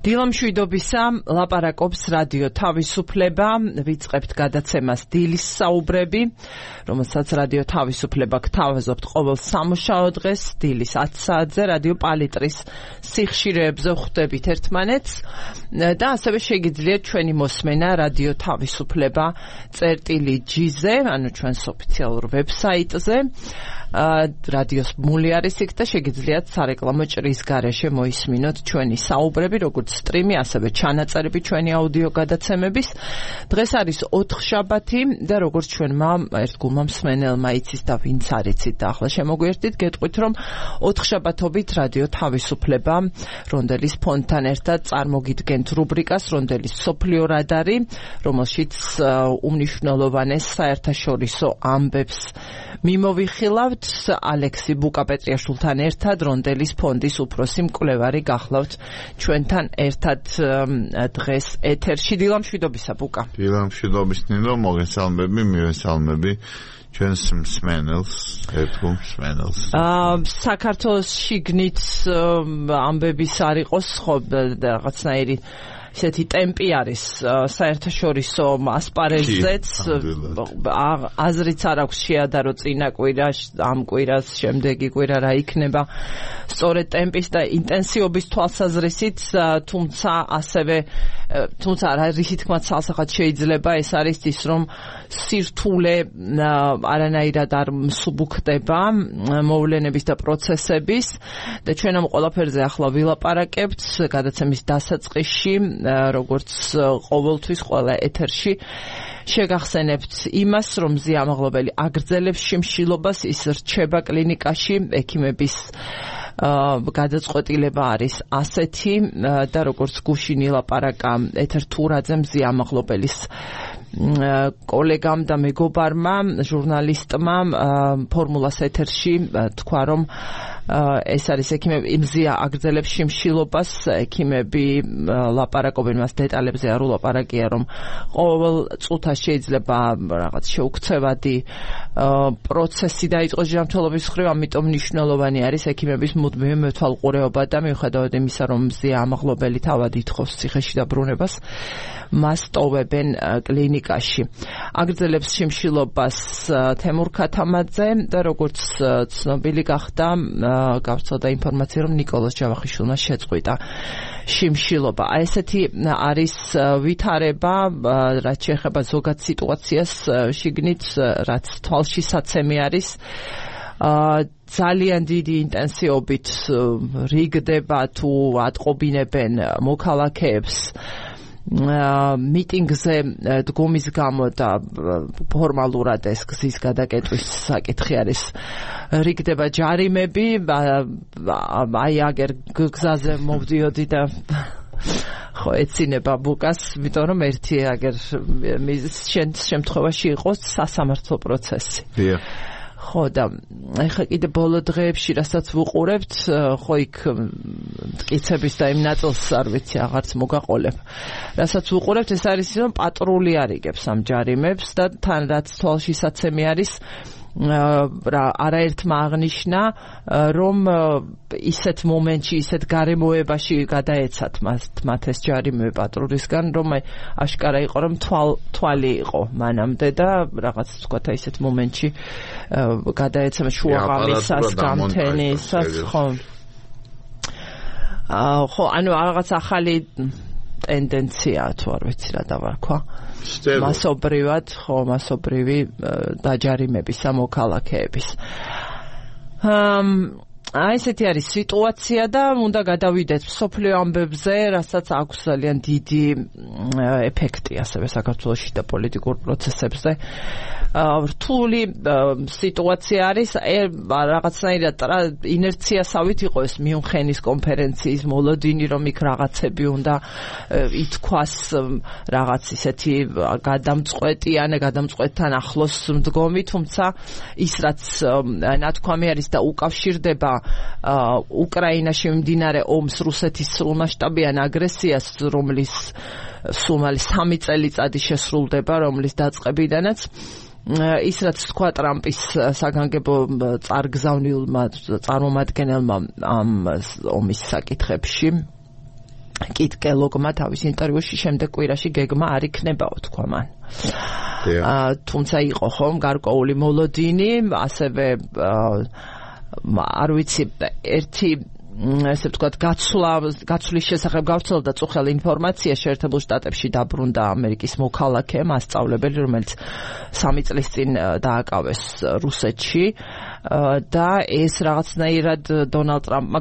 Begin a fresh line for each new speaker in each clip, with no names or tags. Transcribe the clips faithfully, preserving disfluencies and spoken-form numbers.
დილა მშვიდობისა, ლაპარაკობს რადიო თავისუფლება, ვიწყებთ გადაცემას დილის საუბრები, რომელსაც რადიო თავისუფლება გთავაზობთ ყოველ სამუშაო დღეს, დილის ათი საათზე, რადიო პალიტრის სიხშირეებზე ხვდებით ერთმანეთს და ასევე შეგიძლიათ ჩვენი მოსმენა რადიო თავისუფლება წერტილი ჯი-ზე, ანუ ჩვენს ოფიციალურ ვებსაიტზე. რადიოს ბმული არის იქ და შეგიძლიათ სარეკლამო ჭრის გარეშე მოისმინოთ ჩვენი საუბრები, როგორც სტრიმი, ასევე ჩანაწერები ჩვენი აუდიო გადაცემების. დღეს არის ოთხშაბათი და როგორც ჩვენმა ერთგულმა მსმენელმა იცის და ვინც არ იცით და ახლა შემოგვიერთდით, გეტყვით, რომ ოთხშაბათობით რადიო თავისუფლება რონდელის ფონდთან ერთად წარმოგიდგენთ რუბრიკას რონდელის სოფლიო რადარი, რომელშიც უმნიშვნელოვანეს საერთაშორისო ამბებს მიმოვიხილავთ. ალექსი ბუკაპეტრიაშვილთან ერთად რონდელის ფონდის უფროსი მკვლევარი გახლავთ ჩვენთან ერთად დღეს ეთერში. დილა მშვიდობისა, ბუკა.
დილა მშვიდობის, ნინო, მოგესალმები, მივესალმები ჩვენს მსმენელს, ერთგულ მსმენელს.
საქართველოს შიგნით ამბების არ იყოს, ხო, რაღაცნაირი ისეთი ტემპი არის საერთაშორისო ასპარეზზეც, აზრიც არ აქვს შეადარო წინა კვირა, ამ კვირას, შემდეგი კვირა რა იქნება სწორედ ტემპის და ინტენსივობის თვალსაზრისით, თუმცა ასევე თუმცა რისი თქმაც სასახად შეიძლება, ეს არის ის, რომ სირთულე არანაირად არ მსუბუქდება მოვლენების და პროცესების და ჩვენ ამ ყველაფერზე ახლა ვილაპარაკებთ გადაცემის დასაწყისში, როგორც ყოველთვის ყველა ეთერში შეგახსენებთ იმას, რომ ზიამაღლობელი აგრძელებს შიმშილობას, ის რჩება კლინიკაში, ექიმების გადაწყვეტილება არის ასეთი და როგორც გუშინ ილაპარაკა ეთერ თურაძემ ზიამაღლობელის კოლეგამ და მეგობარმა, ჟურნალისტმა ფორმულას ეთერში თქვა, რომ ეს არის ექიმები იმზია აგრძელებს შიმშილობას, ექიმები ლაპარაკობენ მას დეტალებზე არ ულაპარაკია, რომ ყოველ წუთას შეიძლება რაღაც შეუქცევადი პროცესი დაიწყოს ჯანმრთელობის მხრივ, ამიტომ მნიშვნელოვანი არის ექიმების მუდმივი მეთვალყურეობა და მიუხედავად იმისა, რომ მზია ამაღლობელი თავად ითხოვს ციხეში დაბრუნებას, მას ტოვებენ კლინიკაში. აგრძელებს შიმშილობას თემურ ქათამაძე და როგორც ცნობილი გახდა, გავრცელდა ინფორმაცია, რომ ნიკოლოზ ჯავახიშვილმა შეწყვიტა შიმშილობა. აი ესეთი არის ვითარება, რაც შეეხება ზოგად სიტუაციას შიგნით, რაც თვალშისაცემი არის. ძალიან დიდი ინტენსივობით რიგდება თუ ატყობინებენ მოქალაქეებს მიტინგზე დგომის გამო და ფორმალურად ეს გზის გადაკეტვის საკითხი არის. რიგდება ჯარიმები, აი აგერ გზაზე მოვდიოდი და ხო ეცინება ბუკას, იმიტომ რომ ერთი აგერ შემთხვევაში იყოს სასამართლო პროცესი.
დიახ.
ხო და ეხლა კიდე ბოლო დღეებში რასაც ვუყურებთ, ხო იქ მტკიცების და იმ ნაწილს არ ვიცი, აღარც მოგაყოლებ. რასაც ვუყურებთ, ეს არის ის, რომ პატრული არიგებს ამ ჯარიმებს და თან რაც თვალშისაცემი არის, რა არაერთმა აღნიშნა, რომ ისეთ მომენტში, ისეთ გარემოებაში გადაეცათ მათ ეს ჯარიმები პატრულისგან, რომ აშკარა იყო, რომ თვალი იყო მანამდე და რაღაც თქვათ ისეთ მომენტში გადაეცათ შუაღამისას, გამთენისას, ხო. ხო, ანუ რაღაც ახალი ტენდენციაა, თუ არ ვიცი რა დავარქვა. მასობრივად, ხო, მასობრივი დაჯარიმების ამოქალაქეების. აი ესეთი არის სიტუაცია და უნდა გადავიდეთ მსოფლიო ამბებზე, რასაც აქვს ძალიან დიდი ეფექტი ასევე საქართველოში და პოლიტიკურ პროცესებზე. რთული სიტუაცია არის, რაღაცნაირად ინერციასავით იყო ეს მიუნხენის კონფერენციის მოლოდინი, რომ იქ რაღაცები უნდა ითქვას, რაღაც ისეთი გადამწყვეტიან, გადამწყვეტთან ახლოს მდგომი, თუმცა ის რაც ნათქვამი არის და უკავშირდება უკრაინაში მიმდინარე ომს, რუსეთის სრულმასშტაბიან აგრესიას, რომლის სულ სამი წელიწადი შესრულდება, რომლის დაწყებიდანაც ის რაც თქვა ტრამპის საგანგებო წარგზავნილმა წარმომადგენელმა ამ ომის საკითხებში, კიტ კელოგმა თავის ინტერვიუში შემდეგ კვირაში გეგმა არ იქნებაო თქვა მან. აა თუმცა იყო ხომ გარკვეული მოლოდინი, ასევე არ ვიცი ერთი ესე ვთქვათ გაცვლა გაცვლის შესახებ გავრცელდა წუხელ ინფორმაცია შეერთებულ შტატებში დაბრუნდა ამერიკის მოქალაქე მასწავლებელი რომელიც სამი წლის წინ დააკავეს რუსეთში და ეს რაღაცნაირად დონალდ ტრამპმა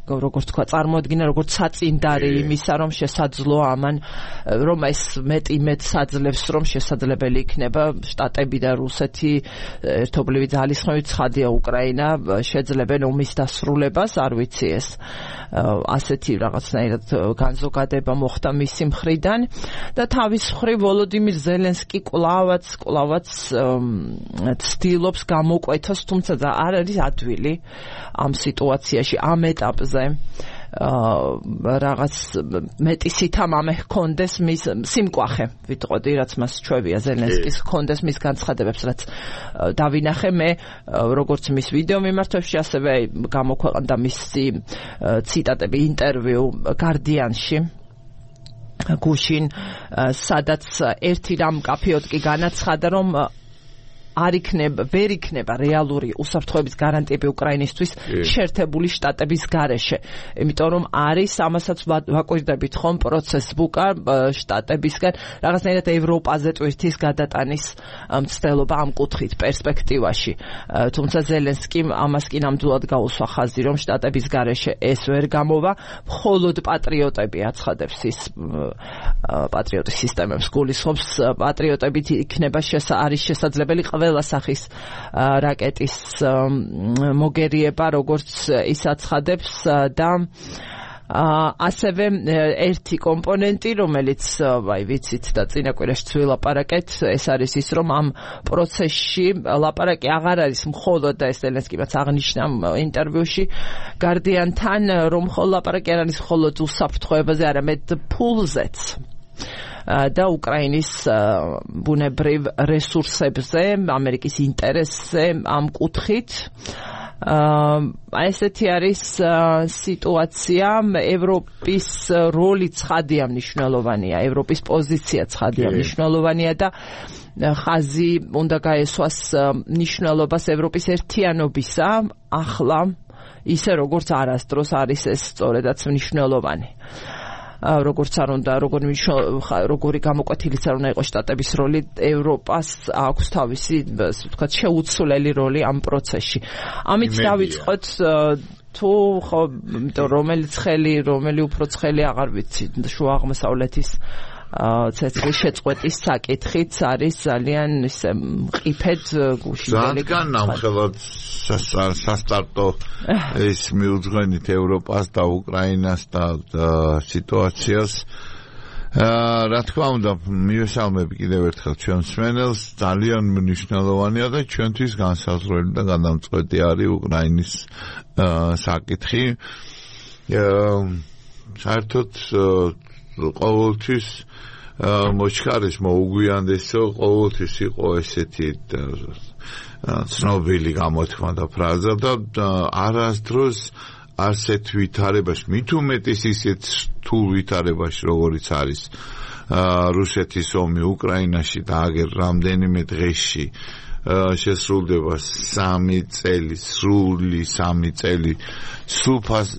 როგორც თქვა წარმოადგინა როგორც საწინდარი იმისა რომ შესაძლოა ამან რომ ეს მეტი მეტ საძლევს რომ შესაძლებელი იქნება შტატები და რუსეთი ერთობლივი ძალისხმევით ცხადია უკრაინა შეძლებენ ომის დასრულებას არ ვიცი ეს ასეთი რაღაცნაირად განზოგადება მოხდა მისი მხრიდან და თავის მხრივ ვოლოდიმირ ზელენსკი კვლავაც კვლავაც ცდილობს გამოკვეთოს თუმცა არ არის ადვილი ამ სიტუაციაში ამ ეტაპზე რაღაც მეტი სითამამე ჰქონდეს მის სიმკვახე ვიტყოდი რაც მას ჩვევია ზელენსკის ჰქონდეს მის განცხადებებს რაც დავინახე მე როგორც მის ვიდეო მიმართვებში ასევე გამოქვეყნდა მისი ციტატები ინტერვიუ Guardian-ში გუშინ სადაც ერთი რამ კაფეოდ კი განაცხადა რომ არ იქნება, ვერ იქნება რეალური უსაფრთხოების გარანტიები უკრაინისთვის შეერთებული შტატების გარეშე. იმიტომ რომ არის ამასაც ვაკვირდებით ხომ პროცესს ბუკა შტატებისგან რაღაცნაირად ევროპაზე ტვირთის გადატანის მცდელობა ამ კუთხით პერსპექტივაში. თუმცა ზელენსკიმ ამას კი ნამდვილად გაუსვა ხაზი რომ შტატების გარეშე ეს ვერ გამოვა, მხოლოდ პატრიოტები აცხადებს ის პატრიოტის სისტემებს გულისხმობს პატრიოტებით იქნება არის შესაძლებელი ყველა სახის რაკეტის მოგერიება როგორც ის აცხადებს და ასევე ერთი კომპონენტი რომელიც აი ვიცით და წინა კვირაში ვილაპარაკეთ ეს არის ის რომ ამ პროცესში ლაპარაკი აღარ არის მხოლოდ და ეს ზელენსკიმაც აღნიშნა ინტერვიუში Guardian-თან რომ მხოლოდ ლაპარაკი არ არის მხოლოდ უსაფრთხოებაზე არამედ ფულზეც და უკრაინის ბუნებრივ რესურსებზე, ამერიკის ინტერესზე ამ კუთხით. ესეთი არის სიტუაცია, ევროპის როლი ცხადია მნიშვნელოვანია, ევროპის პოზიცია ცხადია მნიშვნელოვანია და ხაზი უნდა გაესვას მნიშვნელობას ევროპის ერთიანობისა, ახლა ისე როგორც არასდროს არის ეს სწორედაც მნიშვნელოვანი. როგორც არ უნდა როგორი როგორი გამოკვეთილიც არ უნდა იყოს შტატების როლი ევროპას აქვს თავისი ვთქვათ შეუცვლელი როლი ამ პროცესში ამით დავიწყოთ თუ ხო რომელიც ხელი რომელი უფრო ცხელი აღარ ვიცი შუა აღმოსავლეთის ცეცხლის შეწყვეტის საკითხიც არის ძალიან ისე მყიფედ გუშინდელი
ძალიან ნამხელად სასტარტო ეს მიუძღვენით ევროპას და უკრაინას და სიტუაციას რა თქმა უნდა მივესალმები კიდევ ერთხელ ჩვენ მსმენელს ძალიან მნიშვნელოვანია და ჩვენთვის განსაზღვრელი და გადამწყვეტი არის უკრაინის საკითხი საერთოდ ყოველთვის მოჩქარის მოუგვიანდესო ყოველთვის იყო ესეთი ცნობილი გამოთქმა და ფრაზა და არასდროს ასეთ ვითარებაში მით უმეტეს ისეთ რთულ ვითარებაში როგორიც არის რუსეთის ომი უკრაინაში და აგერ რამდენიმე დღეში შესრულდება სამი წელი, სრული სამი წელი, სულფას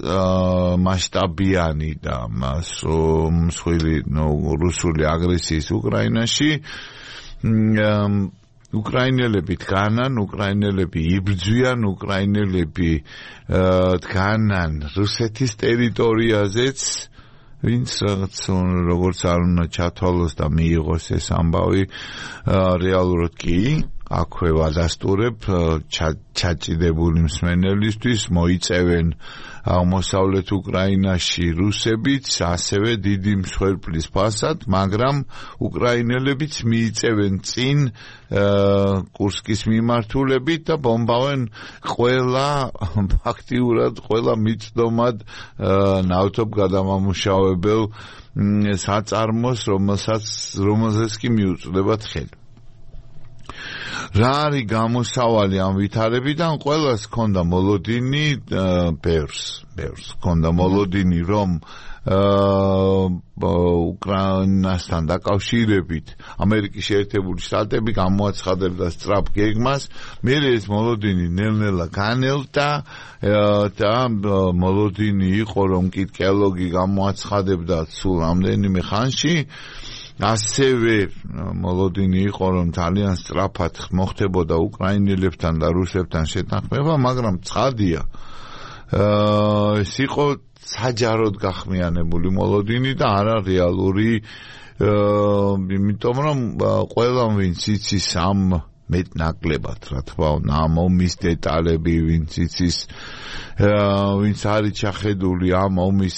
მასშტაბიანი და მსხვილი რუსული აგრესიის უკრაინაში უკრაინელები დგანან, უკრაინელები იბრძვიან, უკრაინელები დგანან რუსეთის ტერიტორიაზეც ვინც როგორც არ უნდა ჩათვალოს და მიიღოს ეს ამბავი რეალურად კი აქვე ვადასტურებ ჩაჭიდებული მსმენელისთვის მოიწევენ აღმოსავლეთ უკრაინაში რუსებიც ასევე დიდი მსხვერპლის ფასად, მაგრამ უკრაინელებიც მიიწევენ წინ კურსკის მიმართულებით და ბომბავენ ყველა ფაქტიურად ყველა მიწდომად ნავთობ გადამამუშავებელ საწარმოს, რომელსაც რომელზეც კი მიუწვდებათ ხელი. რა არის გამოსავალი ამ ვითარებიდან? ყველას ჰქონდა მოლოდინი ბევრს, ბევრს ჰქონდა მოლოდინი, რომ უკრაინასთან დაკავშირებით ამერიკის შეერთებული შტატები გამოაცხადებდა სწრაფ გეგმას, მერე ეს მოლოდინი ნელ-ნელა განელდა და მოლოდინი იყო, რომ კითხელოგი გამოაცხადებდა სულ რამდენიმე ხანში. ასევე მოლოდინი იყო, რომ ძალიან სწრაფად მოხდებოდა უკრაინელებთან და რუსებთან შეთანხმება, მაგრამ ცხადია, ეს იყო საჯაროდ გახმიანებული მოლოდინი და არა რეალური, იმიტომ რომ ყველამ ვინც იცის ამ მეტნაკლებად, რა თქმა უნდა, ამ ომის დეტალები, ვინც იცის, ვინც არის ჩახედული ამ ომის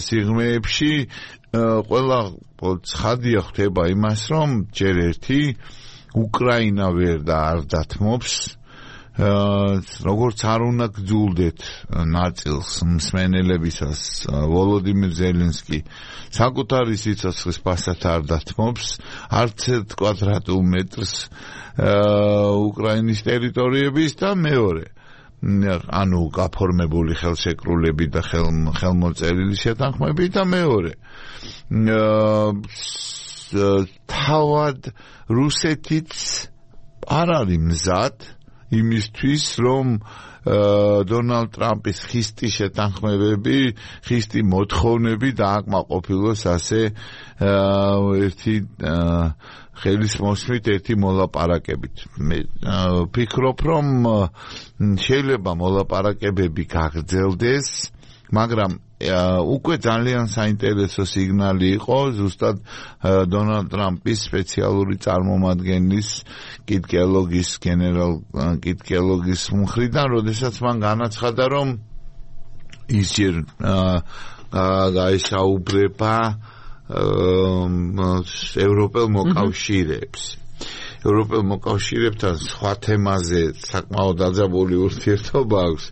სიღრმეებში, ყველა ცხადია ხდება იმას, რომ ჯერ ერთი უკრაინა ვერ და არ დათმობს, როგორც არ უნდა გძულდეთ ნაწილს მსმენელებისას ვოლოდიმირ ზელენსკი საკუთარი სიცოცხლის ფასად არ დათმობს არც ერთ კვადრატულ მეტრს უკრაინის ტერიტორიების და მეორე ანუ გაფორმებული ხელშეკრულები და ხელმოწერილი შეთანხმები და მეორე თავად რუსეთიც არ არის მზად იმისთვის რომ დონალდ ტრამპის ხისტი შეთანხმებები, ხისტი მოთხოვნები დააკმაყოფილოს ასე ერთი ხელის მოსმით, ერთი მოლაპარაკებით. მე ვფიქრობ, რომ შეიძლება მოლაპარაკებები გაგრძელდეს, მაგრამ უკვე ძალიან საინტერესო სიგნალი იყო ზუსტად დონალდ ტრამპის სპეციალური წარმომადგენლის კითხელოგის გენერალ კითხელოგის მხრიდან, როდესაც მან განაცხადა, რომ ის ჯერ გაესაუბრება ევროპელ მოკავშირეებს. ევროპელ მოკავშირეებთან სხვა თემაზე საკმაოდ დაძაბული ურთიერთობა აქვს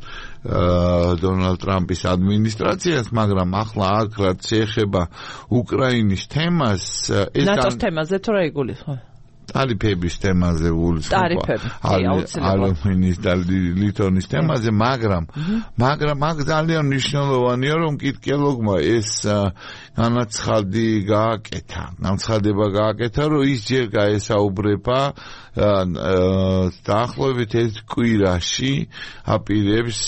დონალდ ტრამპის ადმინისტრაციას, მაგრამ ახლა აქ რაც შეეხება უკრაინის თემას, ეს
ნატოს თემაზე თუ რა იგულისხმება?
ტარიფების თემაზე გულისხმობა, ალუმინის და ლითონის თემაზე, მაგრამ მაგრამ აქ ძალიან მნიშვნელოვანია, რომ კითხელოგმა ეს განაცხადი გააკეთა, განცხადება გააკეთა, რომ ის ჯერ გაესაუბრება დაახლოებით ერთ კვირაში აპირებს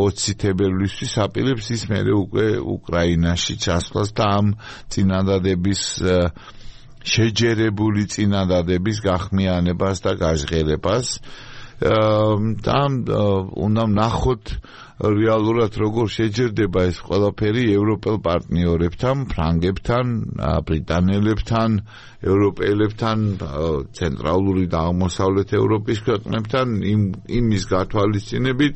ოცი თებერვლისთვის აპირებს ის მერე უკვე უკრაინაში ჩასვლას და ამ წინადადების შეჯერებული წინადადების გახმიანებას და გაჟღერებას და უნდა ვნახოთ რეალურად როგორ შეჯერდება ეს ყველაფერი ევროპელ პარტნიორებთან, ფრანგებთან, ბრიტანელებთან, ევროპელებთან, ცენტრალური და აღმოსავლეთ ევროპის ქვეყნებთან იმის გათვალისწინებით,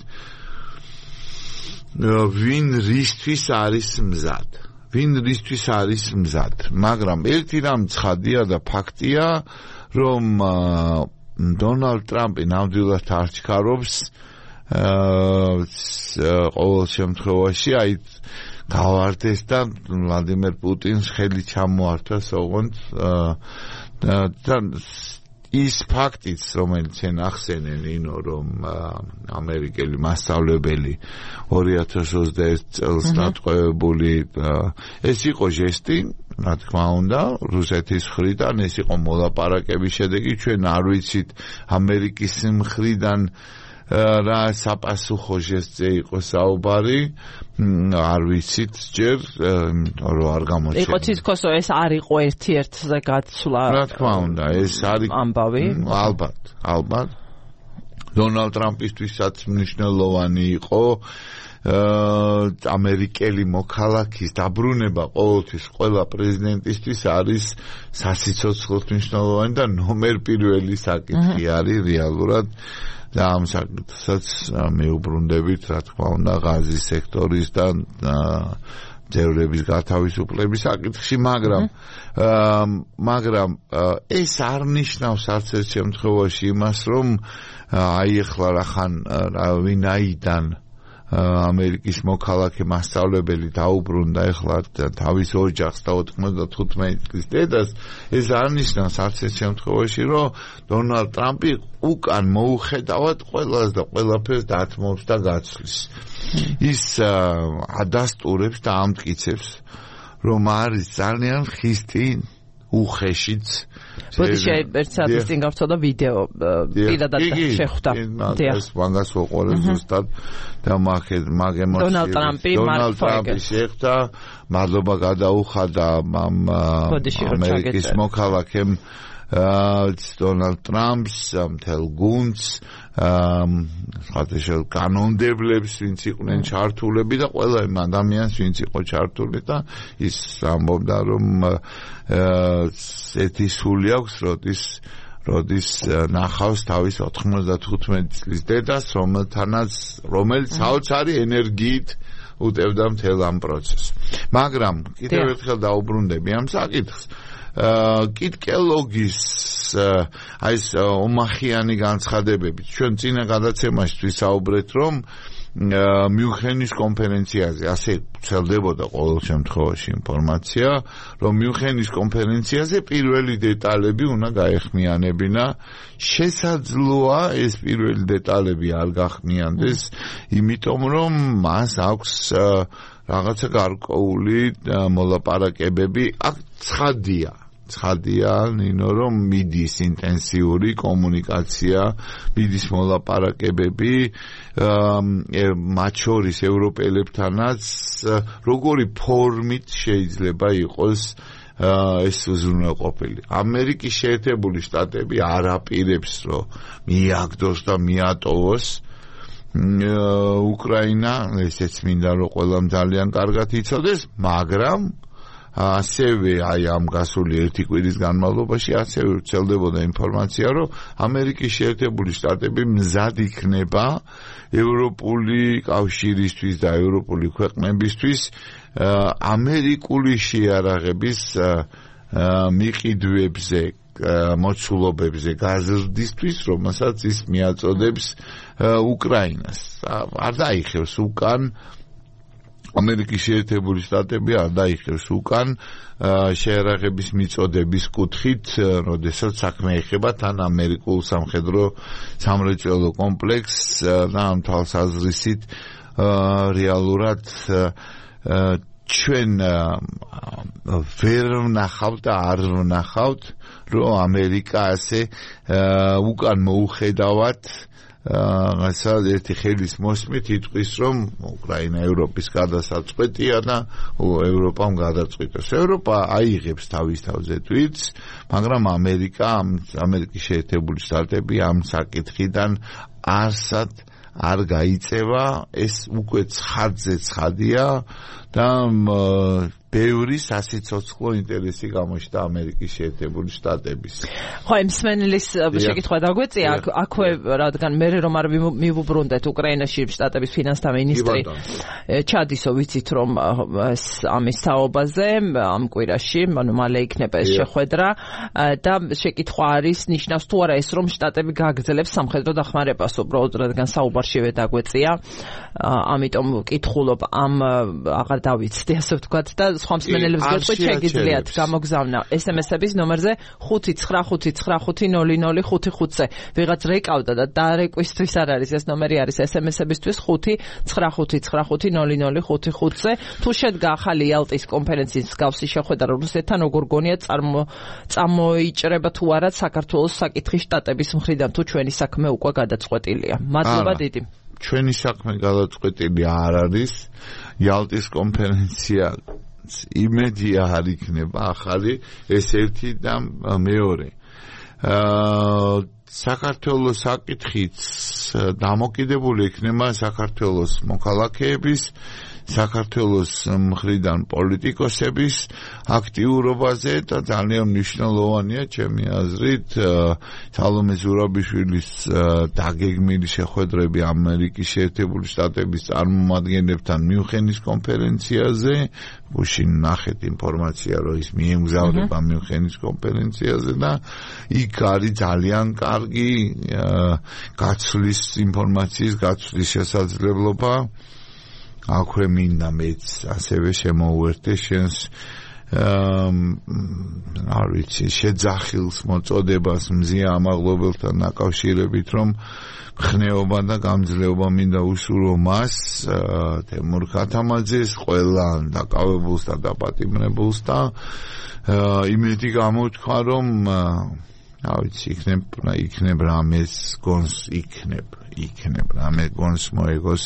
ვინ რისთვის არის მზად. ვინ რისთვის არის მზად, მაგრამ ერთი რამ ცხადია და ფაქტია, რომ დონალდ ტრამპი ნამდვილად არ ჩქარობს ყოველ შემთხვევაში აი გავარდეს და ვლადიმერ პუტინს ხელი ჩამოართვას ოღონდ და ის ფაქტიც, რომელიც შენ ახსენე, ნინო, რომ ამერიკელი მასწავლებელი ორი ათას ოცდაერთი წელს დატყვევებული, ეს იყო ჟესტი, რა თქმა უნდა, რუსეთის მხრიდან, ეს იყო მოლაპარაკების შედეგი, ჩვენ არ ვიცით ამერიკის მხრიდან რა საპასუხო ჟესტზე იყო საუბარი, არ ვიცით ჯერ, რომ არ გამოჩნდა.
იყო თითქოს ეს არ იყო ერთ-ერთზე გაცვლა.
რა თქმა უნდა, ეს არის
ამბავი.
ალბათ, ალბათ. დონალდ ტრამპისთვისაც მნიშვნელოვანი იყო ამერიკელი მოქალაქის დაბრუნება ყოველთვის ყველა პრეზიდენტისთვის არის სასიცოცხლოდ მნიშვნელოვანი და ნომერ პირველი საკითხი არის რეალურად. და ამ საკითხსაც მეუბრუნდებით, რა თქმა უნდა, ღაზის სექტორის და ძევრების გათავისუფლების საკითხში, მაგრამ მაგრამ ეს არ ნიშნავს არც ერთ შემთხვევაში იმას, რომ აი ახლა რახან ვინაიდან ამერიკის მოქალაქე მასწავლებელი დაუბრუნდა ეხლა თავის ოჯახს და ოთხმოცდათხუთმეტი წლის დედას, ეს არ ნიშნავს არც ერთ შემთხვევაში, რომ დონალდ ტრამპი უკან მოუხედავად ყველას და ყველაფერს დათმობს და გაცვლის. ის ადასტურებს და ამტკიცებს, რომ არის ძალიან ხისტი უხეშიც.
ბოდიში ერთ საათის წინ გავწოდა ვიდეო პირადად შეხვდა.
ეს მაგას ვუყურე ზუსტად და მაგე მაგემოციები.
დონალდ ტრამპი
დონალდ ტრამპი შეხვდა, მადლობა გადაუხადა ამერიკის მოქალაქემ დონალდ ტრამპს, მთელ გუნდს, ხათაშელ კანონმდებლებს, ვინც იყვნენ ჩართულები და ყველა იმ ადამიანს, ვინც იყო ჩართული და ის ამბობდა, რომ ერთი სული აქვს, როდის როდის ნახავს თავის ოთხმოცდათხუთმეტი წლის დედას, რომელთანაც რომელიც საოცარი ენერგიით უტევდა მთელ ამ პროცესს. მაგრამ კიდევ ერთხელ დაუბრუნდები ამ საკითხს. კიტკელოგის აი ეს ომახიანი განცხადებები ჩვენ წინა გადაცემაში ვისაუბრეთ, რომ მიუნხენის კონფერენციაზე ასე ვრცელდებოდა ყოველ შემთხვევაში ინფორმაცია, რომ მიუნხენის კონფერენციაზე პირველი დეტალები უნდა გაეხმიანებინა. შესაძლოა ეს პირველი დეტალები არ გახმიანდეს, იმიტომ რომ მას აქვს რაღაცა გარკვეული მოლაპარაკებები, აქ ცხადია. ცხადია, ნინო, რომ მიდის ინტენსიური კომუნიკაცია, მიდის მოლაპარაკებები, მათ შორის ევროპელებთანაც, როგორი ფორმით შეიძლება იყოს ეს უზრუნველყოფილი. ამერიკის შეერთებული შტატები არ აპირებს, რომ მიაგდოს და მიატოვოს უკრაინა, ესეც მინდა რომ ყველამ ძალიან კარგად იცოდეს, მაგრამ ასევე აი ამ გასული ერთი კვირის განმავლობაში ასევე ვრცელდებოდა ინფორმაცია, რომ ამერიკის შეერთებული შტატები მზად იქნება ევროპული კავშირისთვის და ევროპული ქვეყნებისთვის ამერიკული შეიარაღების მიყიდვებზე, მოცულობებზე გაზრდისთვის, რომელსაც ის მიაწოდებს უკრაინას. არ დაიხევს უკან ამერიკის შეერთებული შტატები არ დაიხევს უკან შეიარაღების მიწოდების კუთხით, როდესაც საქმე ეხება თან ამერიკულ სამხედრო სამრეწველო კომპლექსს და ამ თვალსაზრისით რეალურად ჩვენ ვერ ვნახავთ და არ ვნახავთ, რომ ამერიკა ასე უკან მოუხედავად რაღაცა ერთი ხელის მოსმით იტყვის, რომ უკრაინა ევროპის გადასაწყვეტია და ევროპამ გადაწყვიტოს. ევროპა აიღებს თავის თავზე თვითს, მაგრამ ამერიკა, ამერიკის შეერთებული შტატები ამ საკითხიდან არსად არ გაიწევა, ეს უკვე ცხადზე ცხადია და ბევრი სასიცოცხლო ინტერესი გამოჩნდა ამერიკის შეერთებული შტატების.
ხო, იმ სმენელის შეკითხვა დაგვეწია, აქვე რადგან მე რომ არ მივუბრუნდეთ უკრაინაში შტატების ფინანსთა მინისტრი ჩადისო, ვიცით რომ ამის თაობაზე ამ კვირაში, ანუ მალე იქნება ეს შეხვედრა და შეკითხვა არის, ნიშნავს თუ არა ეს, რომ შტატები გააგრძელებს სამხედრო დახმარებას, უბრალოდ რადგან საუბარშივე დაგვეწია, ამიტომ ვკითხულობ ამ აღარ დავიცდი, ასე ვთქვათ და სხვა მსმენელებს გეტყვით, შეგიძლიათ გამოგზავნა ეს ემ ეს-ების ნომერზე ხუთი ცხრა ხუთი ცხრა ხუთი ნული ნული ხუთი ხუთზე. ვიღაც რეკავდა და დარეკვისთვის არ არის ეს ნომერი, არის ეს ემ ეს-ებისთვის ხუთი ცხრა ხუთი ცხრა ხუთი ნული ნული ხუთი ხუთზე. თუ შედგა ახალი იალტის კონფერენციის მსგავსი შეხვედრა რუსეთთან, როგორ გონიათ წამოიჭრება თუ არა საქართველოს საკითხი შტატების მხრიდან, თუ ჩვენი საქმე უკვე გადაწყვეტილია. მადლობა დიდი.
ჩვენი საქმე გადაწყვეტილი არ არის. იალტის კონფერენცია იმედია არ იქნება ახალი, ეს ერთი და მეორე. საქართველოს საკითხიც დამოკიდებული იქნება საქართველოს მოქალაქეების საქართველოს მხრიდან პოლიტიკოსების აქტიურობაზე და ძალიან მნიშვნელოვანია ჩემი აზრით სალომე ზურაბიშვილის დაგეგმილი შეხვედრები ამერიკის შეერთებული შტატების წარმომადგენლებთან მიუნხენის კონფერენციაზე, გუშინ ნახეთ ინფორმაცია, რომ ის მიემგზავრება მიუნხენის კონფერენციაზე და იქ არის ძალიან კარგი გაცვლის ინფორმაციის გაცვლის შესაძლებლობა. აქვე მინდა მეც ასევე შემოვერთე შენს არ ვიცი შეძახილს მოწოდებას მზია ამაღლობელთან დაკავშირებით, რომ ხნეობა და გამძლეობა მინდა უსურო მას თემურ ქათამაძეს, ყველა დაკავებულს და დაპატიმრებულს და იმედი გამოთქვა, რომ არ ვიცი იქნებ იქნებ რამეს გონს იქნებ იქნებ რამე გონს მოეგოს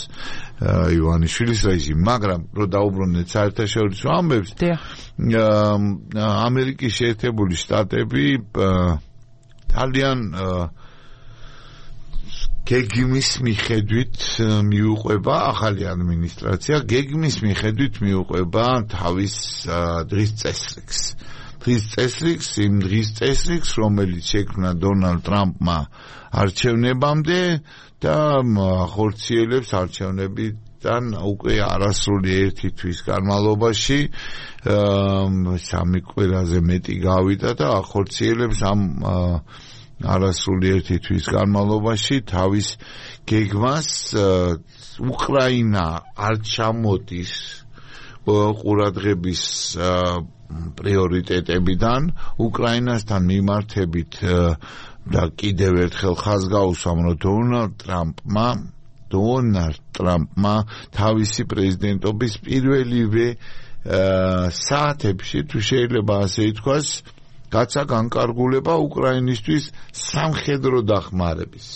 ივანიშვილის რეჟიმი, მაგრამ რო დაუბრუნდეთ საერთაშორისო ამბებს, ამერიკის შეერთებული შტატები ძალიან გეგმის მიხედვით მიუყვება ახალი ადმინისტრაცია, გეგმის მიხედვით მიუყვება თავის დღის წესრიგს. დღის წესრიგს, იმ დღის წესრიგს, რომელიც შექმნა დონალდ ტრამპმა არჩევნებამდე და ახორციელებს არჩევნებიდან უკვე არასრული ერთი თვის განმავლობაში სამი კვირაზე მეტი გავიდა და ახორციელებს ამ არასრული ერთი თვის განმავლობაში თავის გეგმას. უკრაინა არ ჩამოდის ყურადღების პრიორიტეტებიდან, უკრაინასთან მიმართებით და კიდევ ერთხელ ხაზგაუსვამ, რომ დონალდ ტრამპმა დონალდ ტრამპმა თავისი პრეზიდენტობის პირველივე საათებში, თუ შეიძლება ასე ითქვას, გაცა განკარგულება უკრაინისთვის სამხედრო დახმარების.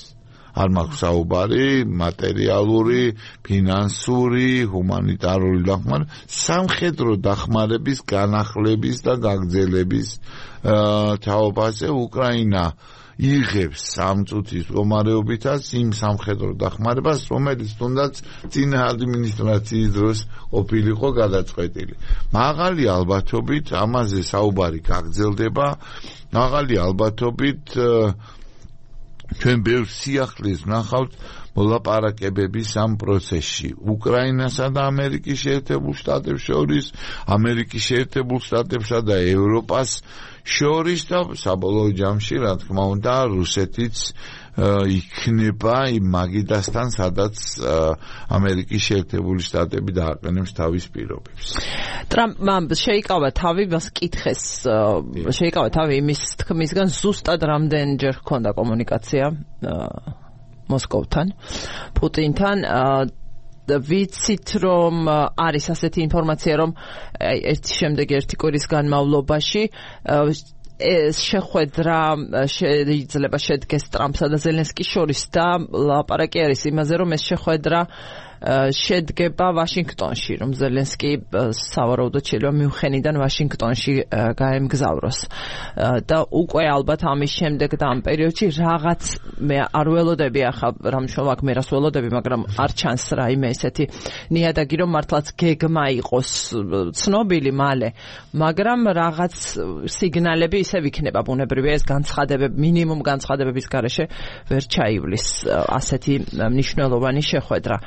არ მაქვს საუბარი მატერიალური, ფინანსური, ჰუმანიტარული დახმარება, სამხედრო დახმარების განახლების და გაგრძელების თაობაზე უკრაინა იღებს სამ წუთის მდგომარეობითაც იმ სამხედრო დახმარებას, რომელიც თუნდაც წინა ადმინისტრაციის დროს ყოფილიყო გადაწყვეტილი. მაღალი ალბათობით ამაზე საუბარი გაგრძელდება, მაღალი ალბათობით ჩვენ ბევრ სიახლეს ვნახავთ მოლაპარაკებების ამ პროცესში უკრაინასა და ამერიკის შეერთებულ შტატებს შორის, ამერიკის შეერთებულ შტატებსა და ევროპას შორის და საბოლოო ჯამში, რა თქმა უნდა, რუსეთიც იქნება იმ მაგიდასთან, სადაც ამერიკის შეერთებული შტატები დააყენებს თავის პირობებს.
ტრამპმა შეიკავა თავი, მას კითხეს, შეიკავა თავი იმის თქმისგან, ზუსტად რამდენჯერ ჰქონდა კომუნიკაცია მოსკოვთან, პუტინთან. ვიცით, რომ არის ასეთი ინფორმაცია, რომ ერთი შემდეგ ერთი კვირის განმავლობაში ეს შეხვედრა შეიძლება შედგეს ტრამპსა და ზელენსკის შორის და ლაპარაკი არის იმაზე, რომ ეს შეხვედრა შედგება ვაშინგტონში, რომ ზელენსკი სავარაუდოდ შეიძლება მიუნხენიდან ვაშინგტონში გაემგზავროს და უკვე ალბათ ამის შემდეგ და ამ პერიოდში რაღაც მე არ ველოდები ახლა რამ შოვაკ მე რას ველოდები, მაგრამ არ ჩანს რაიმე ესეთი ნიადაგი, რომ მართლაც გეგმა იყოს ცნობილი მალე, მაგრამ რაღაც სიგნალები ისევ იქნება ბუნებრივია, ეს განცხადებები მინიმუმ განცხადებების გარეშე ვერ ჩაივლის ასეთი მნიშვნელოვანი შეხვედრა.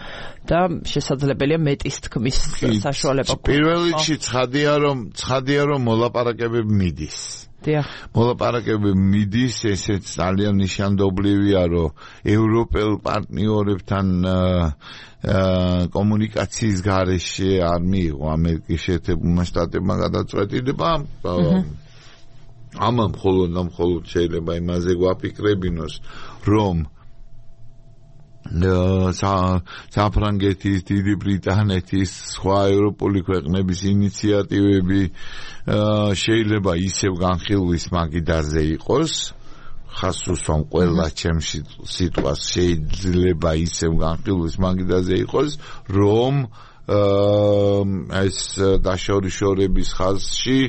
და შესაძლებელია მეტის თქმის საშუალება.
პირველ რიგში ცხადია, რომ ცხადია, რომ მოლაპარაკებები მიდის.
დიახ.
მოლაპარაკებები მიდის, ესეც ძალიან ნიშანდობლივია, რომ ევროპელ პარტნიორებთან კომუნიკაციის გარეშე არ მიიღო ამერიკის შეერთებულმა შტატებმა გადაწყვეტილება. ამან მხოლოდ და მხოლოდ შეიძლება იმაზე გვაფიქრებინოს, რომ საფრანგეთის, დიდი ბრიტანეთის, სხვა ევროპული ქვეყნების ინიციატივები შეიძლება ისევ განხილვის მაგიდაზე იყოს. ხას უსვამ ყველა ჩემში სიტყვას შეიძლება ისევ განხილვის მაგიდაზე იყოს, რომ ეს დაშორიშორების ხაზში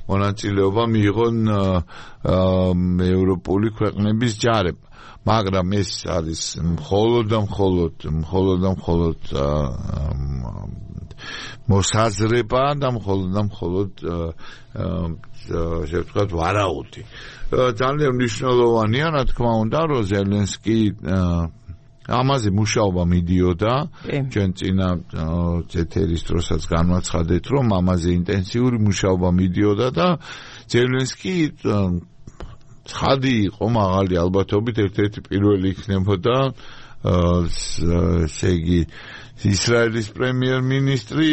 მონაწილეობა მიიღონ ევროპული ქვეყნების ჯარებმა. მაგრამ ეს არის მხოლოდ და მხოლოდ მხოლოდ და მხოლოდ მოსაზრება და მხოლოდ და მხოლოდ ესე ვთქვათ ვარაუდი. ძალიან მნიშვნელოვანია, რა თქმა უნდა, რომ ზელენსკი ამაზე მუშაობა მიდიოდა, ჩვენ წინა ეთერის დროსაც განვაცხადეთ, რომ ამაზე ინტენსიური მუშაობა მიდიოდა და ზელენსკი ცხადი იყო მაღალი ალბათობით ერთ-ერთი პირველი იქნებოდა ესე იგი ისრაელის პრემიერ-მინისტრი,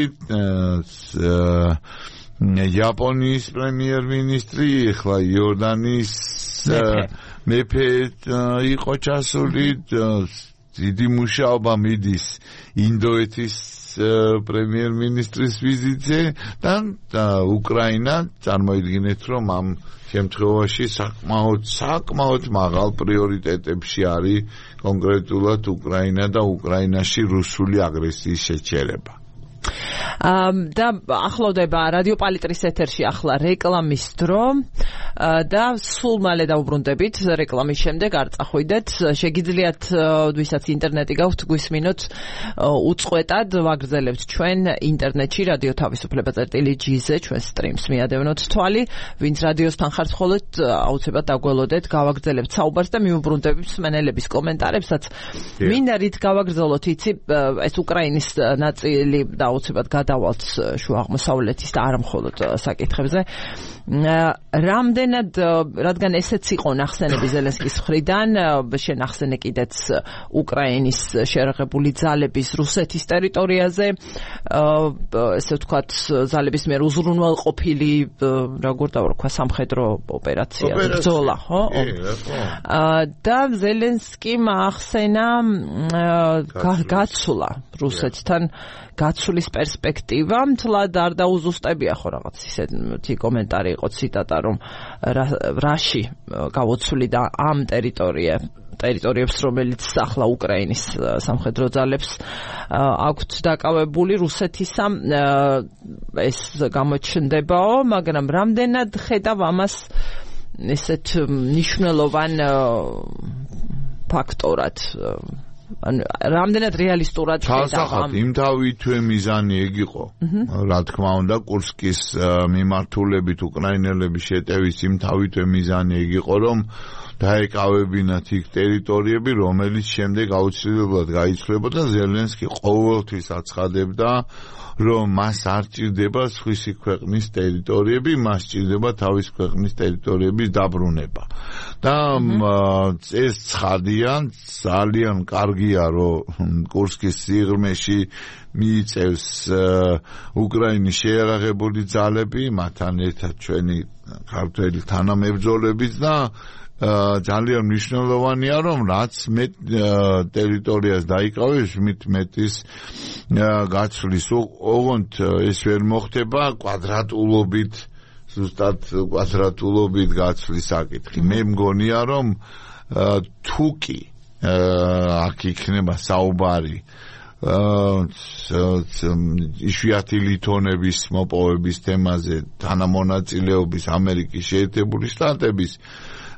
იაპონიის პრემიერ-მინისტრი, ახლა იორდანიის მეფე იყო ჩასული, დიდი მუშაობა მიდის ინდოეთის პრემიერ-მინისტრის ვიზიტზე და უკრაინა წარმოიდგინეთ, რომ ამ შემთხვევაში საკმაოდ საკმაოდ მაღალ პრიორიტეტებში არის კონკრეტულად უკრაინა და უკრაინაში რუსული აგრესიის შეჩერება.
და ახლოვდება რადიო პალიტრის ეთერში ახლა რეკლამის დრო და სულ მალე დავუბრუნდებით რეკლამის შემდეგ არ წახვიდეთ შეგიძლიათ ვისაც ინტერნეტი გაქვთ გვისმინოთ უწყვეტად ვაგრძელებთ ჩვენ ინტერნეტში რადიო თავისუფლება.gz-ზე ჩვენ სტრიმს მიადევნოთ თვალი ვინც რადიოსთან ხართ მხოლოდ აუცილებლად დაგველოდეთ გავაგრძელებთ საუბარს და მიუბრუნდებით მსმენელების კომენტარებსაც მინდა რით გავაგრძელოთ იცი ეს უკრაინის ნაწილი და აუცილებლად გადავალთ შუა აღმოსავლეთის და არა მხოლოდ საკითხებზე. რამდენად, რადგან ესეც იყო ნახსენები ზელენსკის მხრიდან, შენახსენე კიდეც უკრაინის შერაღებული ძალების რუსეთის ტერიტორიაზე, ესე ვთქვათ, ძალების მიერ უზრუნველყოფილი, როგორ დავარქვა, სამხედრო ოპერაცია, ბრძოლა, ხო? და ზელენსკიმ ახსენა გაცვლა რუსეთთან გაცვლის პერსპექტივა, მთლად არ დაუზუსტებია ხო რაღაც ისეთი კომენტარი იყო ციტატა, რომ რაში გავოცვლიდა ამ ტერიტორია ტერიტორიებს, რომელიც ახლა უკრაინის სამხედრო ძალებს აქვთ დაკავებული რუსეთისა, ეს გამოჩნდებაო, მაგრამ რამდენად ხედავ ამას ესეთ მნიშვნელოვან ფაქტორად ანუ რამდენად რეალისტურად
ხედავ იმ თავითვე მიზანი ეგ იყო რა თქმა უნდა კურსკის მიმართულებით უკრაინელების შეტევის იმ თავითვე მიზანი ეგ იყო რომ დაეკავებინათ იქ ტერიტორიები რომელიც შემდეგ აუცილებლად გაიცვლებოდა ზელენსკი ყოველთვის აცხადებდა რომ მას არ ჭირდება სხვისი ქვეყნის ტერიტორიები, მას ჭირდება თავის ქვეყნის ტერიტორიების დაბრუნება. და ეს ცხადია, ძალიან კარგია, რომ კურსკის სიღრმეში მიიწევს უკრაინის შეიარაღებული ძალები, მათთან ერთად ჩვენი ქართველი თანამებრძოლებიც და ძალიან მნიშვნელოვანია რომ რაც მეტ ტერიტორიას დაიკავებს მით მეტის გაცვლის ოღონდ ეს ვერ მოხდება კვადრატულობით ზუსტად კვადრატულობით გაცვლის საკითხი მე მგონია რომ თუკი აქ იქნება საუბარი იშვიათი ლითონების მოპოვების თემაზე თანამონაწილეობის ამერიკის შეერთებული შტატების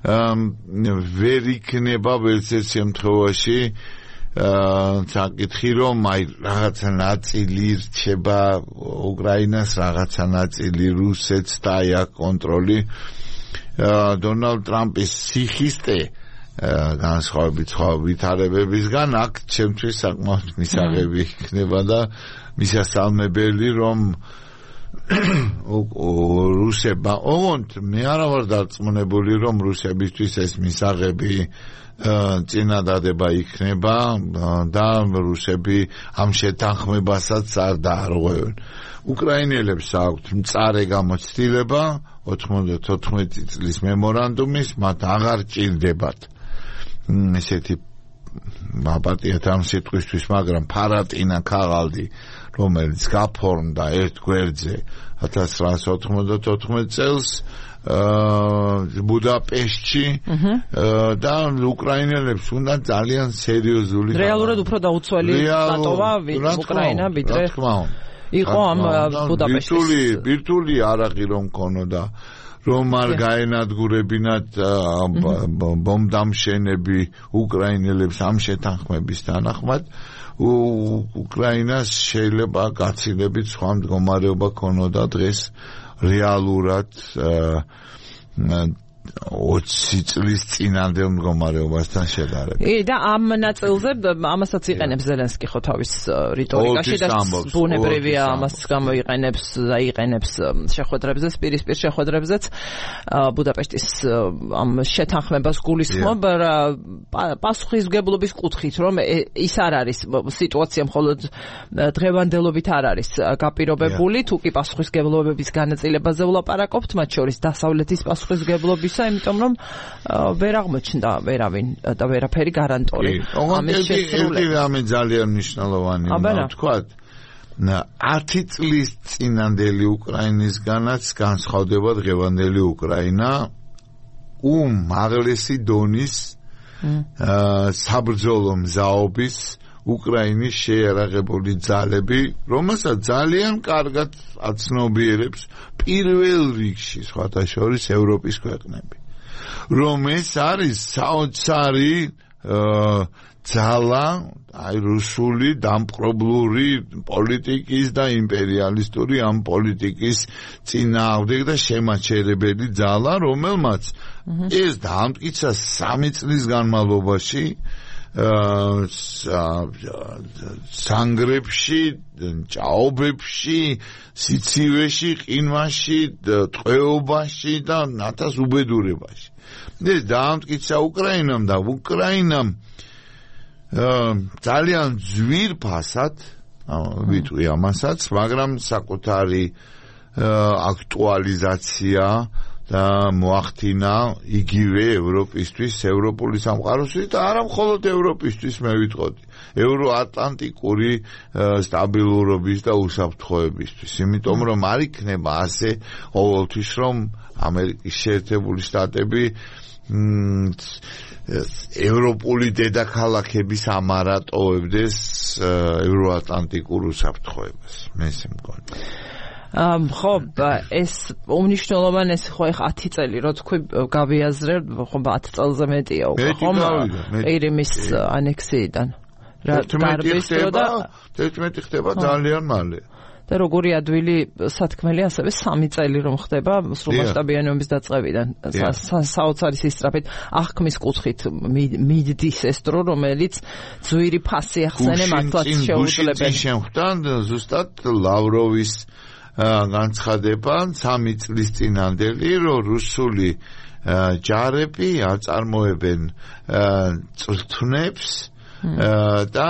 ვერ იქნება ვერცერთ შემთხვევაში საკითხი რომ აი რაღაცა ნაწილი რჩება უკრაინას რაღაცა ნაწილი რუსეთს და აი აქ კონტროლი დონალდ ტრამპის სიხისტე განსხვავებით სხვა ვითარებებისგან აქ ჩემთვის საკმაოდ მისაღები იქნება და მისასალმებელი რომ რუსებმა ოღონდ მე არა ვარ დარწმუნებული რომ რუსებისთვის ეს მისაღები წინადადება იქნება და რუსები ამ შეთანხმებასაც არ დაარღვევენ უკრაინელებს აქვთ მწარე გამოცდილება ოთხმოცდათოთხმეტი წლის მემორანდუმის მათ აღარ ჭირდებათ ესეთი აპატიათ ამ სიტყვისთვის, მაგრამ ფარატინა ქაღალდი, რომელიც გაფორმდა ერთ გვერდზე ათას ცხრაასი ოთხმოცდათოთხმეტ წელს ბუდაპეშტში და უკრაინელებს უნდა ძალიან სერიოზული
რეალურად უფრო დაუცველი დატოვა უკრაინა ვიდრე იყო ამ ბუდაპეშტის
ბირთვული არაღი რომ ქონოდა რომ არ გაენადგურებინათ ბომბდამშენები უკრაინელებს ამ შეთანხმების თანახმად უკრაინას შეიძლება გაცილებით სხვა მდგომარეობა ქონოდა დღეს რეალურად ოცი წლის წინანდელ მდგომარეობასთან შედარებით.
კი და ამ ნაწილზე ამასაც იყენებს ზელენსკი ხო თავის რიტორიკაში და ბუნებრივია ამას გამოიყენებს და იყენებს შეხვედრებზე, პირისპირ შეხვედრებზეც ბუდაპეშტის ამ შეთანხმებას გულისხმობ პასუხისმგებლობის კუთხით, რომ ის არ არის სიტუაცია მხოლოდ დღევანდელობით არ არის გაპირობებული, თუ კი პასუხისმგებლობების განაწილებაზე ვლაპარაკობთ, მათ შორის დასავლეთის პასუხისმგებლობის იმიტომ რომ ვერ აღმოჩნდა ვერავინ და ვერაფერი გარანტორი
ამის შესრულებას. ამი ძალიან მნიშვნელოვანი უნდა ვთქვათ. ათი წლის წინანდელი უკრაინისგანაც განსხვავდება დღევანდელი უკრაინა უმაღლესი დონის საბრძოლო მზაობის უკრაინის შეიარაღებული ძალები, რომელსაც ძალიან კარგად აცნობიერებს პირველ რიგში სხვათა შორის ევროპის ქვეყნები. რომ ეს არის საოცარი ძალა, აი რუსული დამპყრობლური პოლიტიკის და იმპერიალისტური ამ პოლიტიკის წინააღმდეგ და შემაჩერებელი ძალა, რომელმაც ეს დაამტკიცა სამი წლის განმავლობაში სანგრებში, ჭაობებში, სიცივეში, ყინვაში, ტყვეობაში და ნათას უბედურებაში. ეს დაამტკიცა უკრაინამ და უკრაინამ ძალიან ძვირფასად ვიტყვი ამასაც, მაგრამ საკუთარი აქტუალიზაცია და მოახდინა იგივე ევროპისთვის, ევროპული სამყაროსთვის და არა მხოლოდ ევროპისთვის, მე ვიტყოდი, ევროატლანტიკური სტაბილურობის და უსაფრთხოებისთვის. იმიტომ რომ არ იქნება ასე ყოველთვის, რომ ამერიკის შეერთებული შტატები ევროპული დედაქალაქების ამარატოვებდეს ევროატლანტიკურ უსაფრთხოებას. მე ესე მგონი.
ამ ხო ეს უმნიშვნელოვანესი ხო ახ ათი წელი რო თქვი გავიაზრე ხო ათი წელზე მეტია უკვე ხომ ყირიმის ანექსიიდან
რა დარბის და თერთმეტი ხდება ძალიან მალე
და როგორი ადვილი სათქმელი ასევე სამი წელი რომ ხდება სრულმასშტაბიანი ომის დაწყებიდან საოცარი სისწრაფით აღქმის კუთხით მიდდის ეს დრო რომელიც ძვირი ფასი ახსენე მართლაც შეუძლებელი
შემხვდან ზუსტად ლავროვის განცხადება სამი წლის წინანდელი რომ რუსული ჯარები აწარმოებენ წვრთნებს და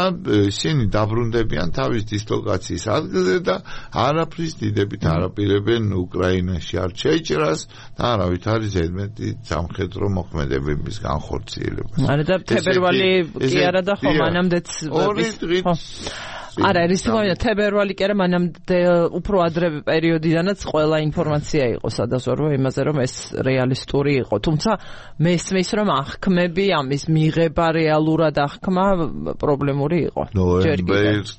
ისინი დაბრუნდებიან თავის დისლოკაციის ადგილზე და არაფრის დიდებით არაპირებენ უკრაინაში არ შეჭრას და არავით არის ზედმეტი სამხედრო მოქმედებების განხორციელებას.
არა და თებერვალი კი არა და ხო მანამდეც
ორი დღით
არა, ის თქმა თებერვალი კი არა, მანამდე უფრო ადრე პერიოდიდანაც ყველა ინფორმაცია იყო სადაზვერვო იმაზე, რომ ეს რეალისტური იყო. თუმცა მესმის, რომ აღქმები, ამის მიღება რეალურად აღქმა პრობლემური იყო.
ნოემბერის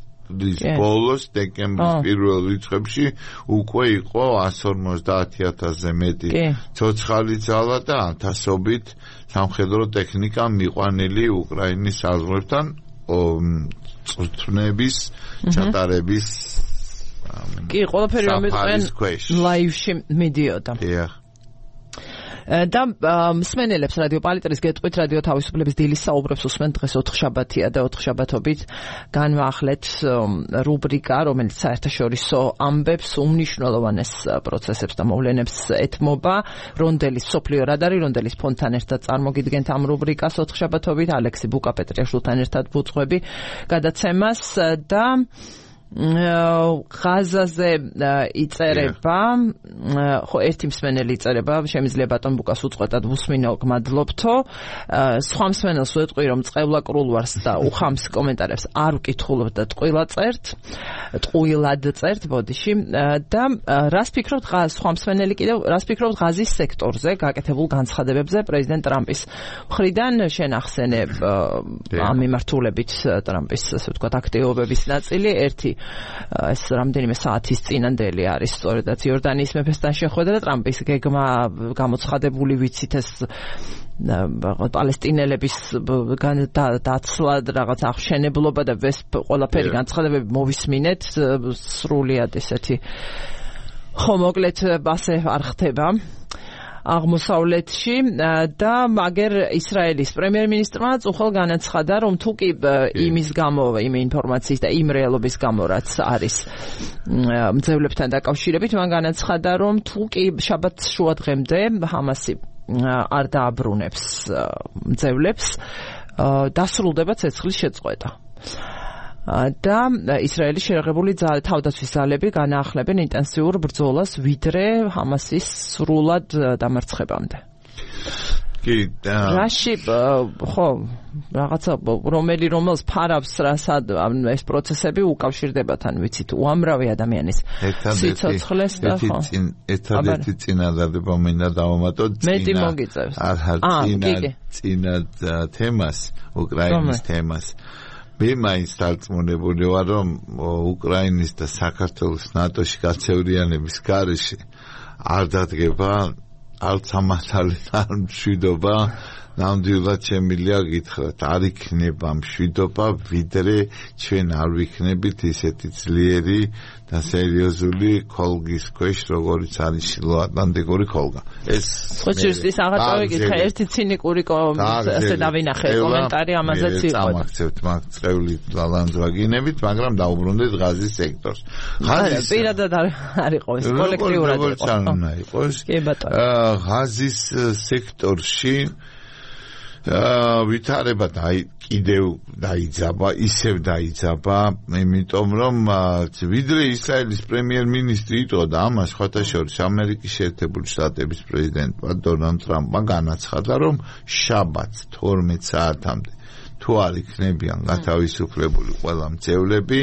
ბოლოს, დეკემბრის პირველ რიცხვებში უკვე იყო εκατს ორმოცდაათი ათასზე მეტი ცოცხალი ძალა და ათასობით სამხედრო ტექნიკა მიყვანილი უკრაინის საზღვრებთან წვრთნების ჩატარების
კი ყველაფერი რომ იყვნენ ლაივში მიდიოდა. და მსმენელებს რადიო პალიტრის გეტყვით რადიო თავისუფლების დილის საუბრებს უსმენთ დღეს ოთხშაბათია და ოთხშაბათობით განვაახლეთ რუბრიკა რომელიც საერთაშორისო ამბებს უმნიშვნელოვანეს პროცესებს და მოვლენებს ეთმობა რონდელის სოფლიო რადარი რონდელის ფონთან ერთად წარმოგიდგენთ ამ რუბრიკას ოთხშაბათობით ალექსი ბუკა პეტრიაშვილთან ერთად ვუძღვები გადაცემას და ღაზაზე იწერება, ხო ერთი მსმენელი იწერება, შემიძლია ბატონ ბუკას უწყვეტად ვუსმინო, გმადლობთო. სხვა მსმენელს ვეტყვი, რომ წყევლაკრულ ვარს და უხამს კომენტარებს არ ვკითხულობ და ტყუილად წერთ, ტყუილად წერთ ბოდიში და რას ფიქრობთ სხვა მსმენელი კიდევ, რას ფიქრობთ ღაზის სექტორზე გაკეთებულ განცხადებებზე პრეზიდენტ ტრამპის მხრიდან შენახსენებ ამ მიმართულებით ტრამპის ასე ვთქვათ აქტივობების ნაწილი ერთი ეს რამდენიმე საათის წინანდელი არის სწორედაც იორდანიის მეფესთან შეხვედრა და ტრამპის გეგმა გამოცხადებული ვიცით ეს პალესტინელების დაცლად რაღაც აღშენებლობა და ეს ყველაფერი განცხადებები მოვისმინეთ სრულიად ესეთი ხო მოკლედ ასე არ ხდება აღმოსავლეთში და მაგერ ისრაელის პრემიერ-მინისტრმაც უხელ განაცხადა, რომ თუ კი იმის გამო, იმ ინფორმაციის და იმ რეალობის გამო, რაც არის მძევლებთან დაკავშირებით, მან განაცხადა, რომ თუ კი შაბათს შუადღემდე ჰამასი არ დააბრუნებს მძევლებს, დასრულდება ცეცხლის შეწყვეტა. და ისრაელის შეერთებული თავდაცვის ძალები განაახლებენ ინტენსიურ ბრძოლას ვიდრე ჰამასის სრულად დამარცხებამდე.
კი,
რაში ხო, რაღაცა რომელი რომელს ფარავს რასად ეს პროცესები უკავშირდება თან ვიცით უამრავი ადამიანის სიცოცხლეს და ხო.
ერთადერთი წინადადება მინდა დავამატო
მეტი მოგიწევს.
არ წინა წინა თემას, უკრაინის თემას. მე მაინც დარწმუნებული ვარ, რომ უკრაინის და საქართველოს ნატოში გაწევრიანების გარეშე არ დადგება არც ამასალი არ მშვიდობა, ნამდვილად შემიძლია გითხრათ, არ იქნება მშვიდობა, ვიდრე ჩვენ არ ვიქნებით ისეთი ძლიერი და სერიოზული ქოლგის ქვეშ, როგორიც არის შილოატლანტიკური ქოლგა. ეს
ხოჭირის აღარ წავიკითხე, ერთი ცინიკური ასე დავინახე კომენტარი ამაზეც იყო.
წამახცევთ მაგ წევლის ლალანძვაგინებით, მაგრამ დაუბრუნდეთ ღაზის სექტორს.
ღაზის პირადად არ იყო ეს კოლექტიურად
იყო.
კი ბატონო.
ღაზის სექტორში ვითარება კიდევ დაიძაბა, ისევ დაიძაბა, იმიტომ რომ ვიდრე ისრაელის პრემიერ-მინისტრი იტყოდა ამას, სხვათა შორის ამერიკის შეერთებული შტატების პრეზიდენტმა დონალდ ტრამპმა განაცხადა, რომ შაბათს თორმეტ საათამდე თუ არ იქნებიან გათავისუფლებული ყველა მძევლები,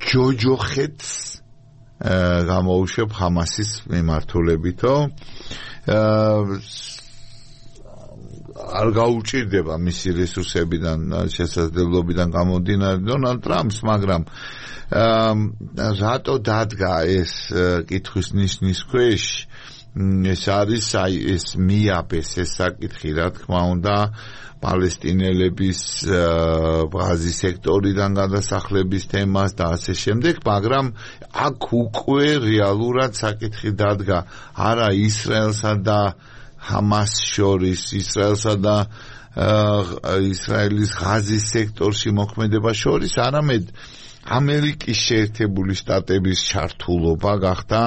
ჯოჯოხეთს გამოუშვებ ჰამასის მიმართულებითო არ გაუჭირდება მისი რესურსებიდან შესაძლებლობიდან გამომდინარე დონალდ ტრამპს, მაგრამ რატო დადგა ეს კითხვის ნიშნის ქვეშ ეს არის აი ეს მიაბეს ეს საკითხი რა თქმა უნდა პალესტინელების ღაზის სექტორიდან გადასახლების თემას და ასე შემდეგ, მაგრამ აქ უკვე რეალურად საკითხი დადგა არა ისრაელსა და ჰამას შორის, ისრაელსა და ისრაელის ღაზის სექტორში მოქმედება შორის, არამედ ამერიკის შეერთებული შტატების ჩართულობა გახდა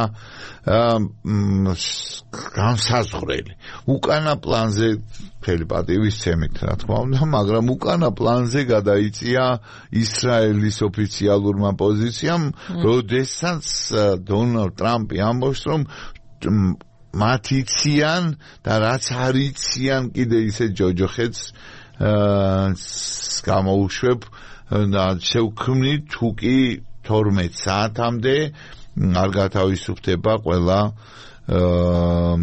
განსაზღვრელი. უკანა პლანზე მთელი პატივისცემით, რა თქმა უნდა, მაგრამ უკანა პლანზე გადაიწია ისრაელის ოფიციალურმა პოზიციამ, როდესაც დონალდ ტრამპი ამბობს, რომ მათ იციან და რაც არ იციან კიდე ისე ჯოჯოხეთს გამოუშვებ და შევქმნით თუ კი თორმეტ საათამდე არ გათავისუფლდება ყველა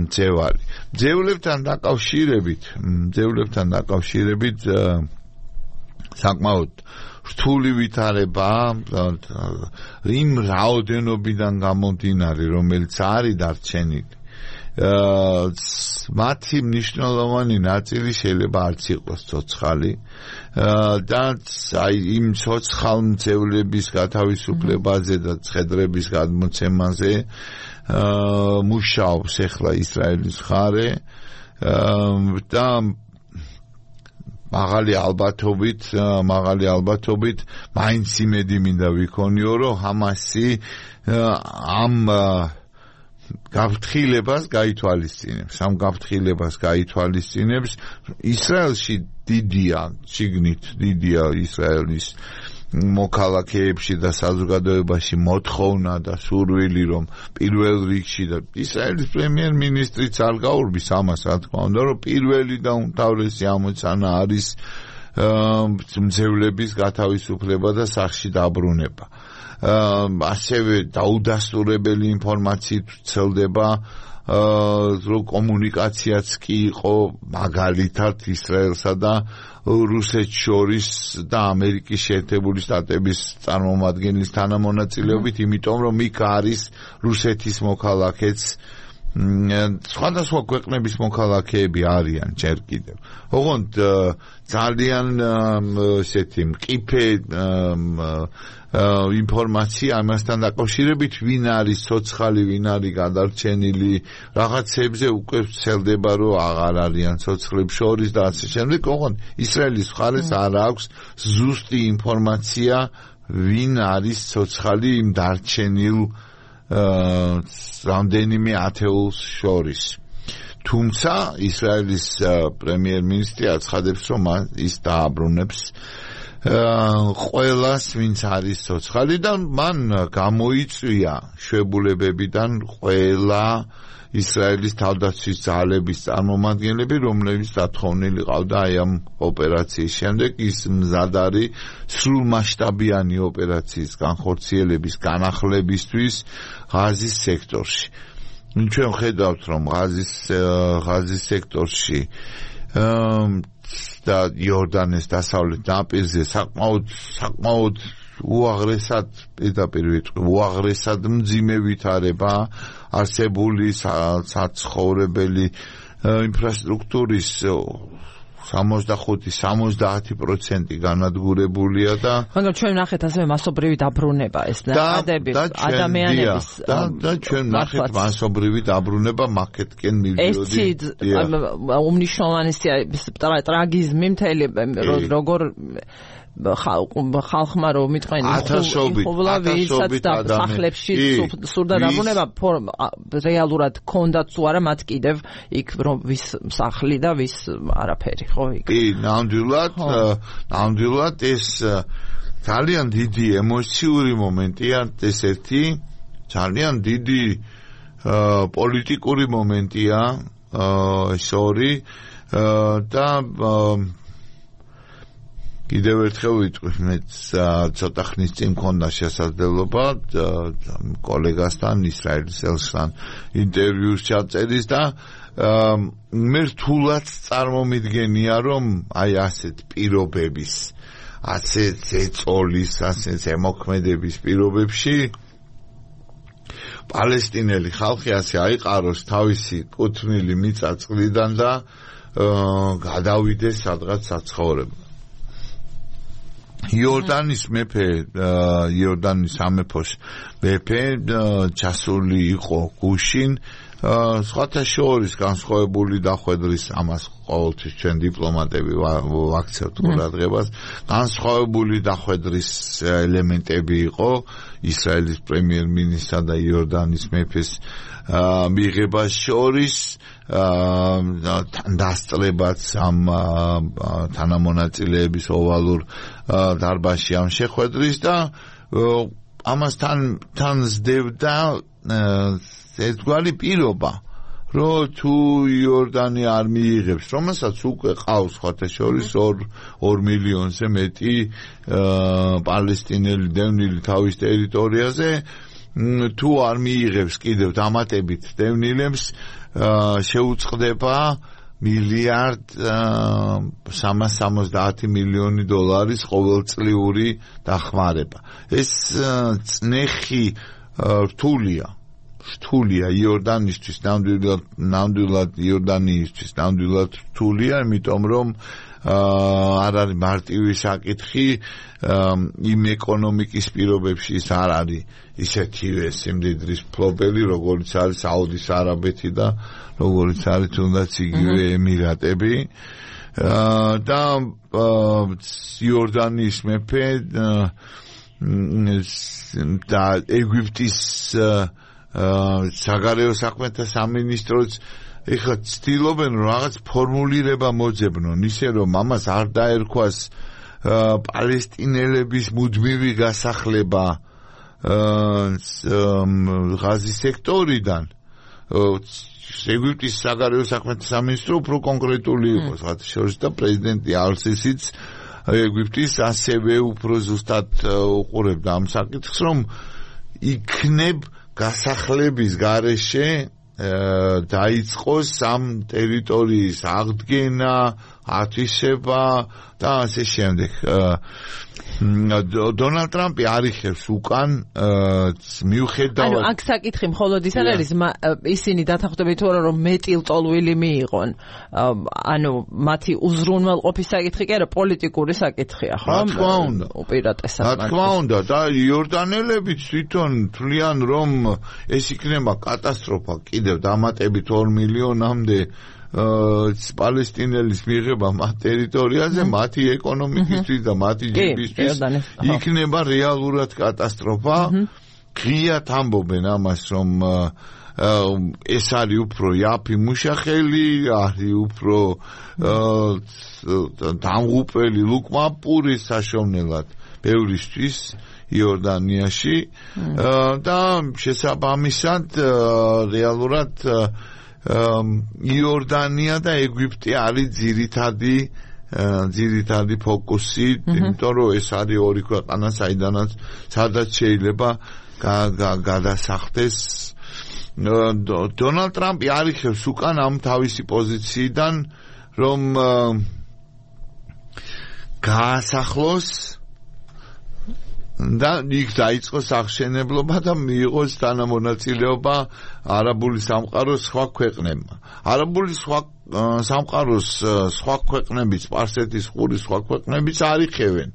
მძევალი. მძევლებთან დაკავშირებით, მძევლებთან დაკავშირებით საკმაოდ რთული ვითარება იმ რაოდენობიდან გამომდინარე, რომელიც არის დარჩენილი. მათი მნიშვნელოვანი ნაწილი შეიძლება არც იყოს ცოცხალი და აი იმ ცოცხალ მძევლების გათავისუფლებაზე და ცხედრების გადმოცემაზე მუშაობს ახლა ისრაელის მხარე და მაღალი ალბათობით, მაღალი ალბათობით მაინც იმედი მინდა ვიქონიო, რომ ჰამასი ამ გაფრთხილებას გაითვალისწინებს. ამ გაფრთხილებას გაითვალისწინებს ისრაელში დიდია, შიგნით დიდია ისრაელის მოქალაქეებში და საზოგადოებაში მოთხოვნა და სურვილი, რომ პირველ რიგში და ისრაელის პრემიერ-მინისტრიც არ გაურბის ამას, რა თქმა უნდა, რომ პირველი და უმთავრესი ამოცანა არის მძევლების გათავისუფლება და სახლში დაბრუნება. ასევე დაუდასტურებელი ინფორმაციით ვრცელდება, რომ კომუნიკაციაც კი იყო მაგალითად ისრაელსა და რუსეთს შორის და ამერიკის შეერთებული შტატების წარმომადგენლის თანამონაწილეობით, იმიტომ რომ იქ არის რუსეთის მოქალაქეც, სხვადასხვა ქვეყნების მოქალაქეები არიან ჯერ კიდევ. ოღონდ ძალიან ესეთი მყიფე ინფორმაცია ამასთან დაკავშირებით, ვინ არის ცოცხალი, ვინ არის გადარჩენილი, რაღაცებზე უკვე ვრცელდება, რომ აღარ არიან ცოცხლებს შორის და ასე შემდეგ. ოღონდ ისრაელის მხარეს არ აქვს ზუსტი ინფორმაცია, ვინ არის ცოცხალი იმ დარჩენილ რამდენიმე ათეულს შორის. თუმცა ისრაელის პრემიერ-მინისტრი აცხადებს, რომ ის დააბრუნებს ყველას, ვინც არის ცოცხალი და მან გამოიწვია შვებულებებიდან ყველა ისრაელის თავდაცვის ძალების წარმომადგენლები, რომლებიც დათხოვნილი ყავდა აი ამ ოპერაციის შემდეგ. ის მზად არის სრულმასშტაბიანი ოპერაციის განხორციელების განახლებისთვის ღაზის სექტორში. ჩვენ ხედავთ, რომ ღაზის ღაზის სექტორში და იორდანეს დასავლეთ ნაპირზე საკმაოდ საკმაოდ უაღრესად პირდაპირ ვიტყვი, უაღრესად მძიმე ვითარება არსებული საცხოვრებელი ინფრასტრუქტურის სამოცდახუთი სამოცდაათი პროცენტი განადგურებულია და
მაგრამ ჩვენ ნახეთ ასევე მასობრივი დაბრუნება ეს ნაკადები ადამიანების
და და ჩვენ ნახეთ მასობრივი დაბრუნება მაკეთკენ მივიდიოდი.
ეს უმნიშვნელოვანესია ტრაგიზმი მთელი როგორ ხალხმა რომ მიტყვენ
ათასობით
და სახლებში სურდა დაბრუნება რეალურად ქონდათ თუ არა მათ კიდევ იქ რომ ვის სახლი და ვის არაფერი ხო იქ.
კი, ნამდვილად ნამდვილად ეს ძალიან დიდი ემოციური მომენტია, ეს ერთი ძალიან დიდი პოლიტიკური მომენტია, ეს ორი და კიდევ ერთხელ ვიტყვი, მე ცოტა ხნის წინ მქონდა შესაძლებლობა კოლეგასთან ისრაელის ელჩთან ინტერვიუს ჩაწერის და მე რთულად წარმომიდგენია, რომ აი ასეთ პირობების, ასეთ ზეწოლის, ასეთ ზემოქმედების პირობებში პალესტინელი ხალხი ასე აიყაროს თავისი კუთვნილი მიწა-წყლიდან და გადავიდეს სადღაც საცხოვრებლად. იორდანის მეფე, იორდანის სამეფოს მეფე ჩასული იყო გუშინ, სხვათა შორის განსხვავებული დახვედრის, ამას ყოველთვის ჩვენ დიპლომატები ვაქცევთ ყურადღებას, განსხვავებული დახვედრის ელემენტები იყო ისრაელის პრემიერ-მინისტრსა და იორდანის მეფეს მიღებას შორის, დასწრებაც ამ თანამონაწილეების ოვალურ დარბაზში ამ შეხვედრის და ამასთან თან ზრდევდა ერთგვარი პირობა, რომ თუ იორდანი არ მიიღებს, რომელსაც უკვე ყავს სხვათა შორის ორ მილიონზე მეტი პალესტინელი დევნილი თავის ტერიტორიაზე, თუ არ მიიღებს კიდევ დამატებით დევნილებს, შეუწყდება მილიარდ სამას სამოცდაათი მილიონი დოლარის ყოველწლიური დახმარება. ეს წნეხი რთულია. რთულია იორდანისთვის, ნამდვილად ნამდვილად იორდანიისთვის ნამდვილად რთულია, იმიტომ რომ არ არის მარტივი საკითხი, იმ ეკონომიკის პირობებში ის არ არის ისეთივე სიმდიდრის ფლობელი, როგორც არის საუდის არაბეთი და როგორც არის თუნდაც იგივე ემირატები და იორდანიის მეფე და ეგვიპტის საგარეო საქმეთა სამინისტროც ეხლა ცდილობენ რომ რაღაც ფორმულირება მოძებნონ ისე რომ ამას არ დაერქვას პალესტინელების მუდმივი გასახლება ღაზის სექტორიდან ეგვიპტის საგარეო საქმეთა სამინისტრო უფრო კონკრეტული იყო მათ შორის და პრეზიდენტი ალ-სისიც ეგვიპტის ასევე უფრო ზუსტად უყურებდა ამ საკითხს რომ იქნებ გასახლების გარეშე დაიწყოს ამ ტერიტორიის აღდგენა, ათვისება და ასე შემდეგ. დონალდ ტრამპი არიხევს უკან მიუხედავად
ანუ აქ საკითხი მხოლოდ ის არ არის ისინი დათანხმდებით თუ არა რომ მეტილტოლვილი მიიღონ ანუ მათი უზრუნველყოფის საკითხი კი არა პოლიტიკური საკითხია ხო?
რა თქმა უნდა
უპირატესად
რა თქმა უნდა და იორდანელებიც თვითონ თვლიან რომ ეს იქნება კატასტროფა კიდევ დამატებით ორ მილიონამდე პალესტინელის მიღება მათ ტერიტორიაზე მათი ეკონომიკისთვის და მათი ჯიბისთვის იქნება რეალურად კატასტროფა. ღიად ამბობენ ამას რომ ეს არის უფრო იაფი მუშახელი, არის უფრო დამღუპელი ლუკმაპური საშოვნელად ბევრისთვის იორდანიაში და შესაბამისად რეალურად იორდანია და ეგვიპტე არის ძირითადი ძირითადი ფოკუსი, იმიტომ რომ ეს არის ორი ქვეყანა, საიდანაც სადაც შეიძლება გადასახდეს. დონალდ ტრამპი არიხევს უკან ამ თავისი პოზიციიდან, რომ გაასახლოს და იქ დაიწყოს აღშენებლობა და მიიღოს თანამონაწილეობა არაბული სამყაროს სხვა ქვეყნებმა. არაბული სხვა სამყაროს სხვა ქვეყნებიც, სპარსეთის ყურის სხვა ქვეყნებიც არიხევენ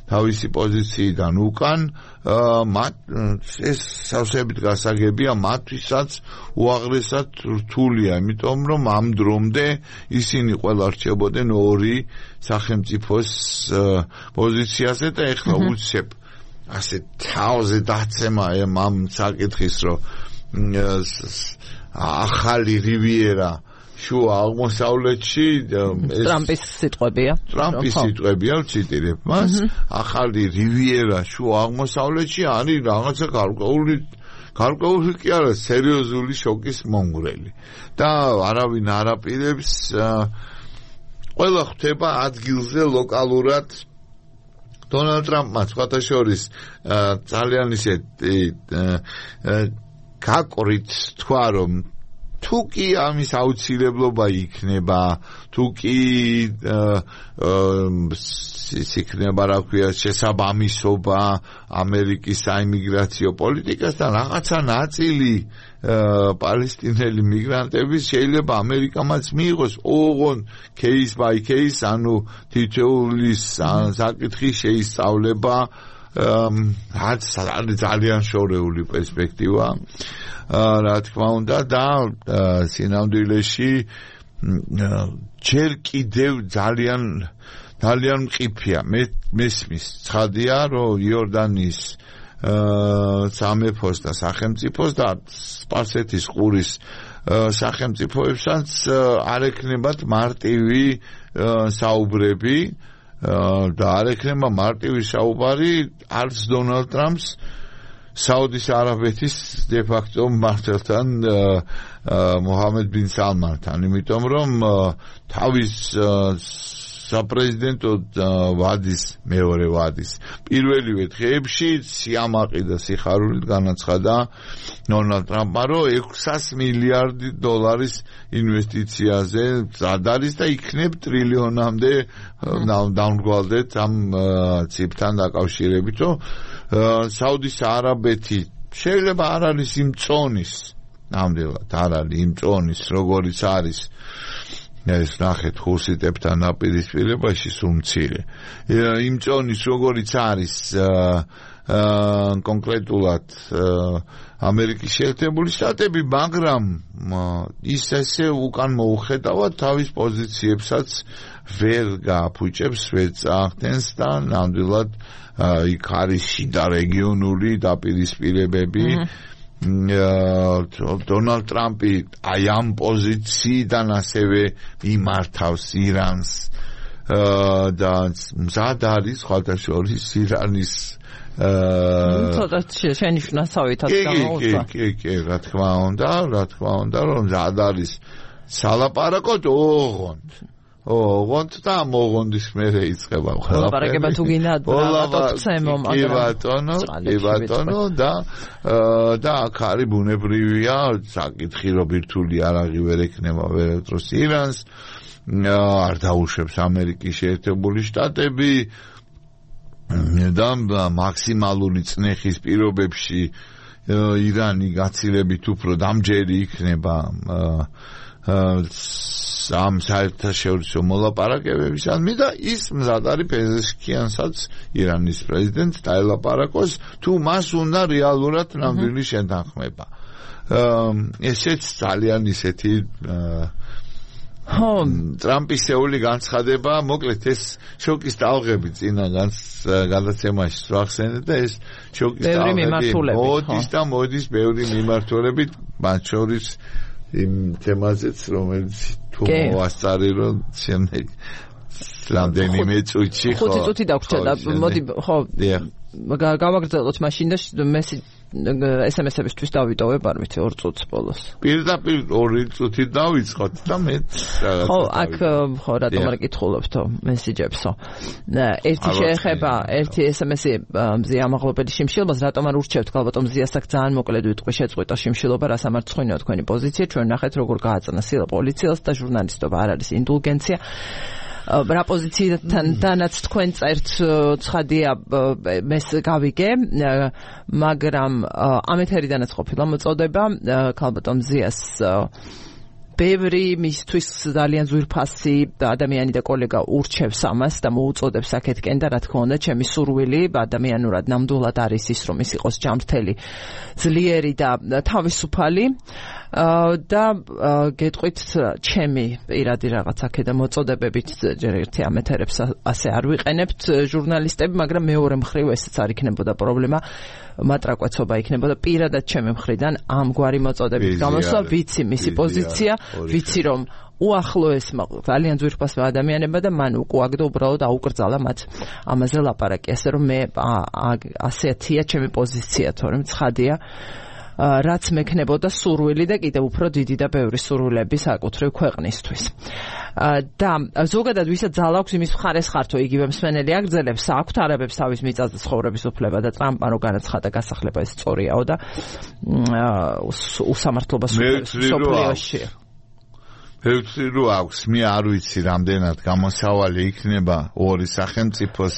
თავისი პოზიციიდან უკან, მათ ეს სავსებით გასაგებია, მათთვისაც უაღრესად რთულია, იმიტომ რომ ამ დრომდე ისინი ყველა რჩებოდნენ ორი სახელმწიფოს პოზიციაზე და ეხლა უცებ ასე თავზე დაცემა ამ საკითხის რომ ახალი რივიერა შუა აღმოსავლეთში
ტრამპის სიტყვებია
ტრამპის სიტყვებია ვციტირებ მას ახალი რივიერა შუა აღმოსავლეთში არის რაღაცა გარკვეული გარკვეული კი არა სერიოზული შოკის მომგვრელი და არავინ არ აპირებს ყველა ხვდება ადგილზე ლოკალურად დონალდ ტრამპმა სხვათა შორის ძალიან ისეთი გაკვრით თქვა რომ თუ კი ამის აუცილებლობა იქნება, თუ კი იქნება რა ქვია შესაბამისობა ამერიკის საიმიგრაციო პოლიტიკასთან რაღაცა ნაწილი პალესტინელი მიგრანტების შეიძლება ამერიკამაც მიიღოს ოღონ case by case, ანუ თითოეული საკითხი შეისწავლება რაც ძალიან შორეული პერსპექტივა რა თქმა უნდა და სინამდვილეში ჯერ კიდევ ძალიან ძალიან მყიფია მესმის ცხადია რომ იორდანიის სამეფოს და სახელმწიფოს და სპარსეთის ყურის სახელმწიფოებსაც არ ექნებათ მარტივი საუბრები და არ ექნება მარტივი საუბარი არც დონალდ ტრამპს საუდის არაბეთის დე-ფაქტო მმართველთან მოჰამედ ბინ სალმანთან, იმიტომ რომ თავის საპრეზიდენტო ვადის მეორე ვადის პირველივე დღეებში სიამაყი და სიხარულით განაცხადა დონალდ ტრამპმა რომ ექვსას მილიარდი დოლარის ინვესტიციაზე მზად არის და იქნებ ტრილიონამდე დამრგვალდეთ ამ ციფრთან დაკავშირებით რომ საუდის არაბეთი შეიძლება არ არის იმ წონის ნამდვილად არ არის იმ წონის როგორიც არის ეს ნახეთ ხურსიტებთან ნაპირისპირებაში სულ მცირე იმ წონის როგორიც არის კონკრეტულად ამერიკის შეერთებული შტატები, მაგრამ ის ესე უკან მოუხედავად თავის პოზიციებსაც ვერ გააფუჭებს, ვერ წახდენს და ნამდვილად იქ არის შიდა რეგიონული დაპირისპირებები დონალდ ტრამპი აი ამ პოზიციიდან ასევე იმართავს ირანს და მზად არის ხალხაშორის ირანის
ცოტა შენიშნასავითაც გამოუწვა.
კი, კი, კი, რა თქმა უნდა, რა თქმა უნდა, რომ მზად არის სალაპარაკოდ ოღონდ. ოღონდ და მოღონდის მერე იწყება
ყველაფერი. ლაპარაკება თუ გინდა რატოცემო, მაგრამ
კი ბატონო, კი ბატონო და და აქ არის ბუნებრივია საკითხი, რომ ბირთვული არაღი ვერ ექნება ვერადროს ირანს, არ დაუშვებს ამერიკის შეერთებული შტატები და მაქსიმალური წნეხის პირობებში ირანი გაცილებით უფრო დამჯერი იქნება ამ საერთაშორისო მოლაპარაკებებისადმი და ის მზად არის პეზეშკიანსაც ირანის პრეზიდენტს დაელაპარაკოს თუ მას უნდა რეალურად ნამდვილი შეთანხმება. ესეც ძალიან ისეთი
ხო
ტრამპის შეეული განცხადება, მოკლედ ეს შოკის ტალღები წინა გადაცემაში ვახსენეთ და ეს შოკის ტალღები მოდის და მოდის ბევრი მიმართულებით, მათ შორის იმ თემაზეც, რომელიც თუ მოასწარი რომ შემდეგ რამდენიმე წუთში
ხო ხუთი წუთი დაგვრჩა და მოდი ხო გავაგრძელოთ მაშინ და ეს ემ ეს-ებისთვის დავიტოვებ არ ვიცი ორ წუთს ბოლოს.
პირდაპირ ორი წუთი დავიწყოთ და მე რაღაც
ხო აქ ხო რატომ არ კითხულობთო მესიჯებსო. ერთი შეეხება ერთი ეს ემ ეს-ი მზია ამაღლობელი შიმშილობას რატომ არ ურჩევთ გალბატონ მზიას აქ ძალიან მოკლედ ვიტყვი შეწყვიტა შიმშილობა რას ამარცხინეო თქვენი პოზიცია ჩვენ ნახეთ როგორ გააწნა სილა პოლიციელს და ჟურნალისტობა არ არის ინდულგენცია. რა პოზიციიდანაც თქვენ წერთ ცხადია მეს გავიგე მაგრამ ამ ეთერიდანაც ყოფილა მოწოდება ქალბატონ მზიას ბევრი მისთვის ძალიან ძვირფასი ადამიანი და კოლეგა ურჩევს ამას და მოუწოდებს აქეთკენ და რა თქმა უნდა ჩემი სურვილი ადამიანურად ნამდვილად არის ის რომ ის იყოს ჯანმრთელი ძლიერი და თავისუფალი და გეტყვით ჩემი პირადი რაღაც აქედა მოწოდებებით ჯერ ერთი ამ ეთერებს ასე არ ვიყენებთ ჟურნალისტები მაგრამ მეორე მხრივ ესეც არ იქნებოდა პრობლემა მატრაკვეცობა იქნებოდა პირადად ჩემი მხრიდან ამგვარი მოწოდებით გამოსვლა ვიცი მისი პოზიცია ვიცი რომ უახლოესმა ძალიან ძვირფას ადამიანებმა და მან უკუაგდო უბრალოდ აუკრძალა მათ ამაზე ლაპარაკი ასე რომ მე ასეთია ჩემი პოზიცია თორემ ცხადია რაც მექნებოდა სურვილი და კიდევ უფრო დიდი და ბევრი სურვილები საკუთრივ ქვეყნისთვის. და ზოგადად ვისაც ძალა აქვს იმის მხარეს ხართო იგივე მსმენელი აგრძელებს აქვთ არაბებს თავის მიწაზე ცხოვრების უფლება და ტრამპმა რო განაცხადა გასახლება ეს სწორიაო და უსამართლობა სოფლიოში.
მე ვთვლი რომ აქვს მე არ ვიცი რამდენად გამოსავალი იქნება ორი სახელმწიფოს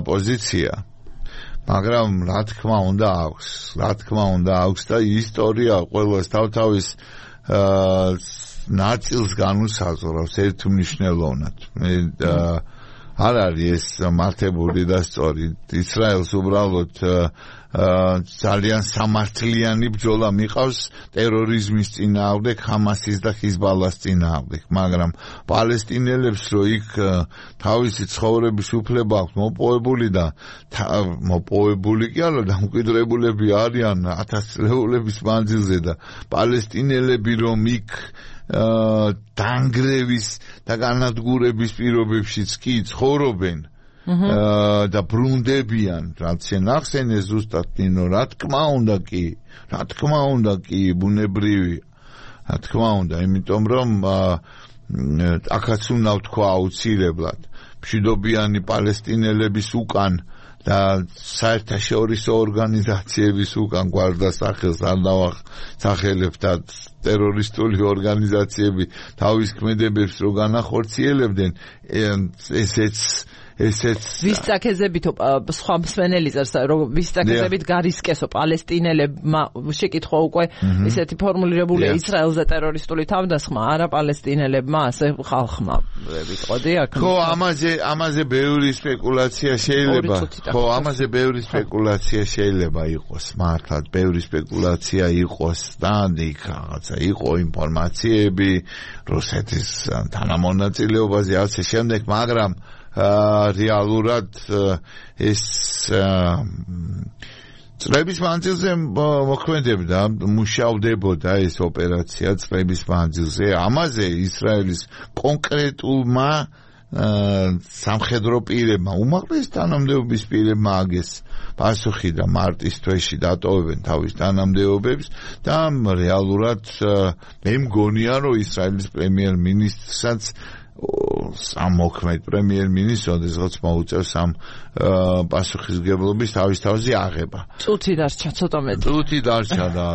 პოზიცია მაგრამ რა თქმა უნდა აქვს რა თქმა უნდა აქვს და ისტორია ყოველას თავთავის ნაწილს განუსაზღვრავს ერთმნიშვნელოვნად მე არ არის ეს მართებული და სწორი ისრაელს უბრალოდ ძალიან სამართლიანი ბრძოლა მიყავს ტერორიზმის წინააღმდეგ ჰამასის და ჰიზბალას წინააღმდეგ მაგრამ პალესტინელებს რო იქ თავისი ცხოვრების უფლება აქვს მოპოვებული და მოპოვებული კი არა დამკვიდრებულები არიან ათასწლეულების მანძილზე და პალესტინელები რომ იქ დანგრევის და განადგურების პირობებშიც კი ცხოვრობენ და ბრუნდებიან რაც შენახსენე ზუსტად ნინო რა თქმა უნდა კი რა თქმა უნდა კი ბუნებრივია რა თქმა უნდა იმიტომ რომ აქაც უნდა ვთქვა აუცილებლად მშვიდობიანი პალესტინელების უკან და საერთაშორისო ორგანიზაციების უკან გვარდასახელს არ დავახსახელებ და ტერორისტული ორგანიზაციები თავის ქმედებებს რო განახორციელებდნენ ესეც ესეც
ვის წაკეზებითო სხვა მსმენელი წერს რომ ვის წაკეზებით გარისკესო პალესტინელებმა შეკითხვა უკვე ესეთი ფორმულირებულია ისრაელზე ტერორისტული თავდასხმა არა პალესტინელებმა ასე ხალხმა ვიტყოდი აქ
ხო ამაზე ამაზე ბევრი სპეკულაცია შეიძლება ხო ამაზე ბევრი სპეკულაცია შეიძლება იყოს მართლაც ბევრი სპეკულაცია იყოს და იქ რაღაცა იყო ინფორმაციები რუსეთის თანამონაწილეობაზე ასე შემდეგ მაგრამ რეალურად ეს წლების მანძილზე მოქმედებდა, მუშავდებოდა ეს ოპერაცია წლების მანძილზე. ამაზე ისრაელის კონკრეტულმა სამხედრო პირებმა, უმაღლეს თანამდებობის პირებმა აგეს პასუხი და მარტის თვეში დატოვებენ თავის თანამდებობებს და რეალურად მე მგონია, რომ ისრაელის პრემიერ-მინისტრსაც სამ მოქმედ პრემიერ-მინისტრს ოდესღაც მოუწევს ამ პასუხისმგებლობის თავის თავზე აღება.
წუთი დარჩა ცოტა მეტი.
წუთი დარჩა და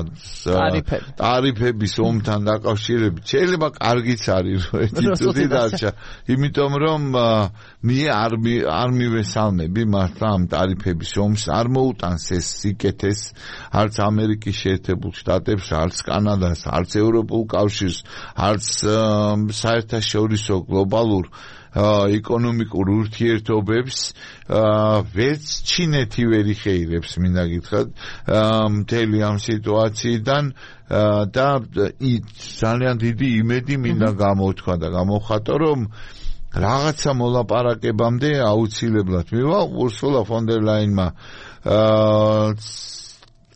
ტარიფების ომთან დაკავშირებით შეიძლება კარგიც არის რომ ერთი წუთი დარჩა, იმიტომ რომ მე არ არ მივესალმები მართლა ამ ტარიფების ომს, არ მოუტანს ეს სიკეთეს არც ამერიკის შეერთებულ შტატებს, არც კანადას, არც ევროპულ კავშირს, არც საერთაშორისო გლობალურ ეკონომიკურ ურთიერთობებს, ვერც ჩინეთი ვერ იხეირებს, მინდა გითხრათ, მთელი ამ სიტუაციიდან და ძალიან დიდი იმედი მინდა გამოთქვა და გამოვხატო, რომ რაღაცა მოლაპარაკებამდე აუცილებლად მივა ურსულა ფონ დერ ლაინმა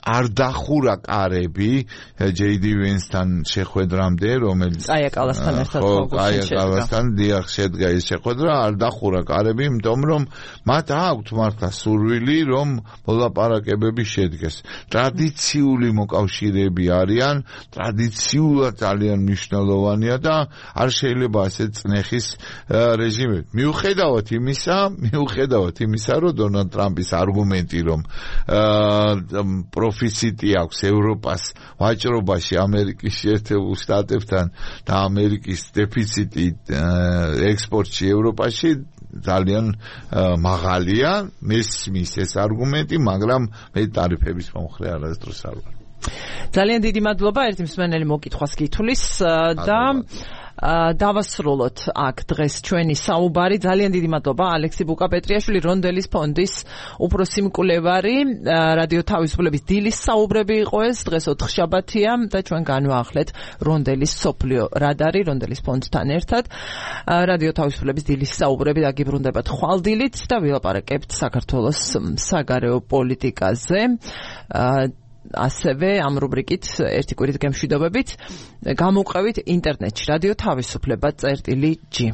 არ დახურა კარები ჯეი დი ვენსთან შეხვედრამდე, რომელიც
კაია კალასთან ერთად
კაია კალასთან დიახ შედგა ეს შეხვედრა, არ დახურა კარები, იმიტომ რომ მათ აქვთ მართლა სურვილი, რომ მოლაპარაკებები შედგეს. ტრადიციული მოკავშირეები არიან, ტრადიციულად ძალიან მნიშვნელოვანია და არ შეიძლება ასე წნეხის რეჟიმი. მიუხედავად იმისა, მიუხედავად იმისა, რომ დონალდ ტრამპის არგუმენტი, რომ პროფიციტი აქვს ევროპას ვაჭრობაში ამერიკის შეერთებულ შტატებთან და ამერიკის დეფიციტი ექსპორტში ევროპაში ძალიან მაღალია, მესმის ეს არგუმენტი, მაგრამ მე ტარიფების მომხრე არასდროს არ ვარ.
ძალიან დიდი მადლობა, ერთი მსმენელი მოკითხვას გითვლის და დავასრულოთ აქ დღეს ჩვენი საუბარი. ძალიან დიდი მადლობა ალექსი ბუკა-პეტრიაშვილი, რონდელის ფონდის უფროსი მკვლევარი. რადიო თავისუფლების დილის საუბრები იყო ეს, დღეს ოთხშაბათია და ჩვენ განვაახლეთ რონდელის სოფლიო რადარი, რონდელის ფონდთან ერთად. რადიო თავისუფლების დილის საუბრები დაგიბრუნდებათ ხვალდილით და ვილაპარაკებთ საქართველოს საგარეო პოლიტიკაზე. ასევე ამ რუბრიკით ერთი კვირით გემშვიდობებით გამოვყევით ინტერნეტში რადიო თავისუფლება წერტილი ჯი.